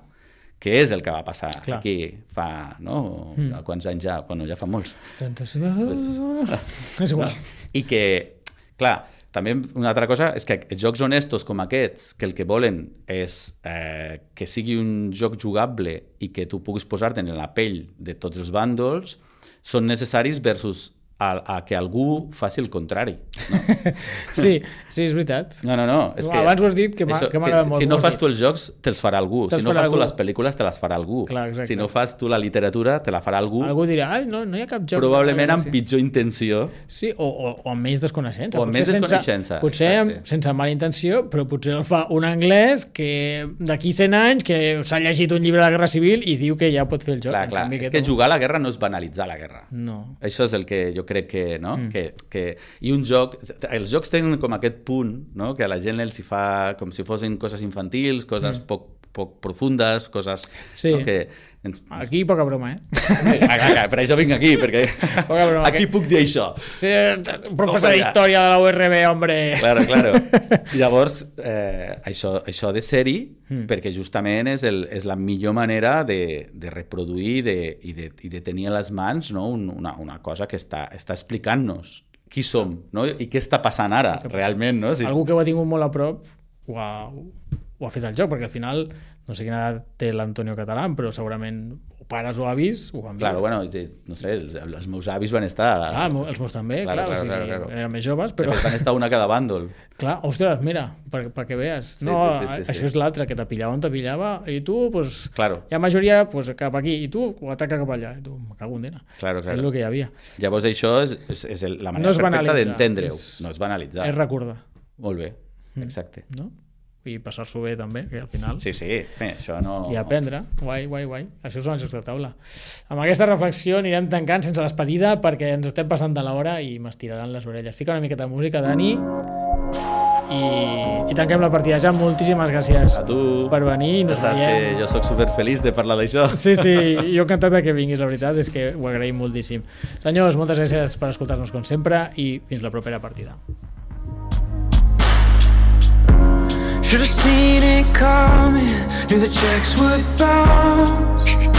B: què és el que va passar Clar. Aquí fa, no? Mm. Quants anys ja? Bueno, ja fa molts.
A: trenta-sis Pues... és igual.
B: I que, clar, també una altra cosa és que jocs honestos com aquests, que el que volen és eh, que sigui un joc jugable i que tu puguis posar-te en la pell de tots els bàndols, són necessaris versus a, a que algú faci el contrari. No?
A: Sí, sí, és veritat.
B: No, no, no. És que
A: abans ho has dit, que m'ha agradat molt.
B: Si no fas tu els jocs, te'ls farà algú. Si no fas tu les pel·lícules, te les farà algú.
A: Clar,
B: si no fas tu la literatura, te la farà algú.
A: Algú dirà, ai, no, no hi ha cap joc.
B: Probablement amb pitjor intenció.
A: Sí, o, o, o amb més desconeixença.
B: O amb més desconeixença.
A: Potser amb, sense mala intenció, però potser el fa un anglès que d'aquí cent anys que s'ha llegit un llibre de la Guerra Civil i diu que ja pot fer el joc.
B: Clar, clar. És que, que jugar a la guerra no és banalitzar la guerra.
A: No.
B: Això és el que jo crec que, no?
A: Mm.
B: Que, que... I un joc... Els jocs tenen com aquest punt, no? Que a la gent els hi fa com si fossin coses infantils, coses mm. poc, poc profundes, coses...
A: Sí.
B: No? Que...
A: Aquí poca broma, eh?
B: Per això vinc aquí, perquè
A: broma,
B: aquí
A: que...
B: puc dir això.
A: Professor d'història de la U R B, hombre!
B: Claro, claro. Llavors, eh, això, això de ser-hi, mm. perquè justament és, el, és la millor manera de, de reproduir de, i, de, i de tenir a les mans, no? una, una cosa que està, està explicant-nos qui som, no? I què està passant ara, realment, no? Si...
A: Algú que ho ha tingut molt a prop ho ha, ho ha fet el joc, perquè al final no sé quina edat té l'Antonio Catalán, però segurament o pares o avis ho van viure.
B: Claro, bueno, no sé, els, els meus avis van estar...
A: Ah, els meus també, claro, clar, claro, o sigui, claro, claro. Eren més joves, però...
B: Van estar una a cada bàndol.
A: Clar, ostres, mira, per, per que veas.
B: Sí,
A: no,
B: sí, sí, sí,
A: això
B: sí.
A: és l'altre, que te pillava on te pillava, i tu, pues,
B: claro.
A: hi ha majoria pues, cap aquí, i tu ataca cap allà, i tu, me cago en dena.
B: Claro, claro.
A: És el que hi havia.
B: Llavors això és, és, és la manera
A: no
B: perfecta d'entendre-ho. No és banalitzar.
A: És recordar.
B: Molt bé, exacte.
A: No? I passar-s'ho bé també, que al final...
B: Sí, sí, bé, això no...
A: I aprendre, guai, guai, guai. Això són els jocs de taula. Amb aquesta reflexió anirem tancant sense despedida perquè ens estem passant de l'hora i m'estiraran les orelles. Fica una miqueta de música, Dani, i, i tanquem la partida. Ja, moltíssimes gràcies
B: a tu
A: per venir.
B: Ja saps que jo soc superfeliç de parlar d'això.
A: Sí, sí, jo encantat que vinguis, la veritat és que ho agraïm moltíssim. Senyors, moltes gràcies per escoltar-nos com sempre i fins la propera partida.
G: Should have seen it coming, knew the checks would bounce.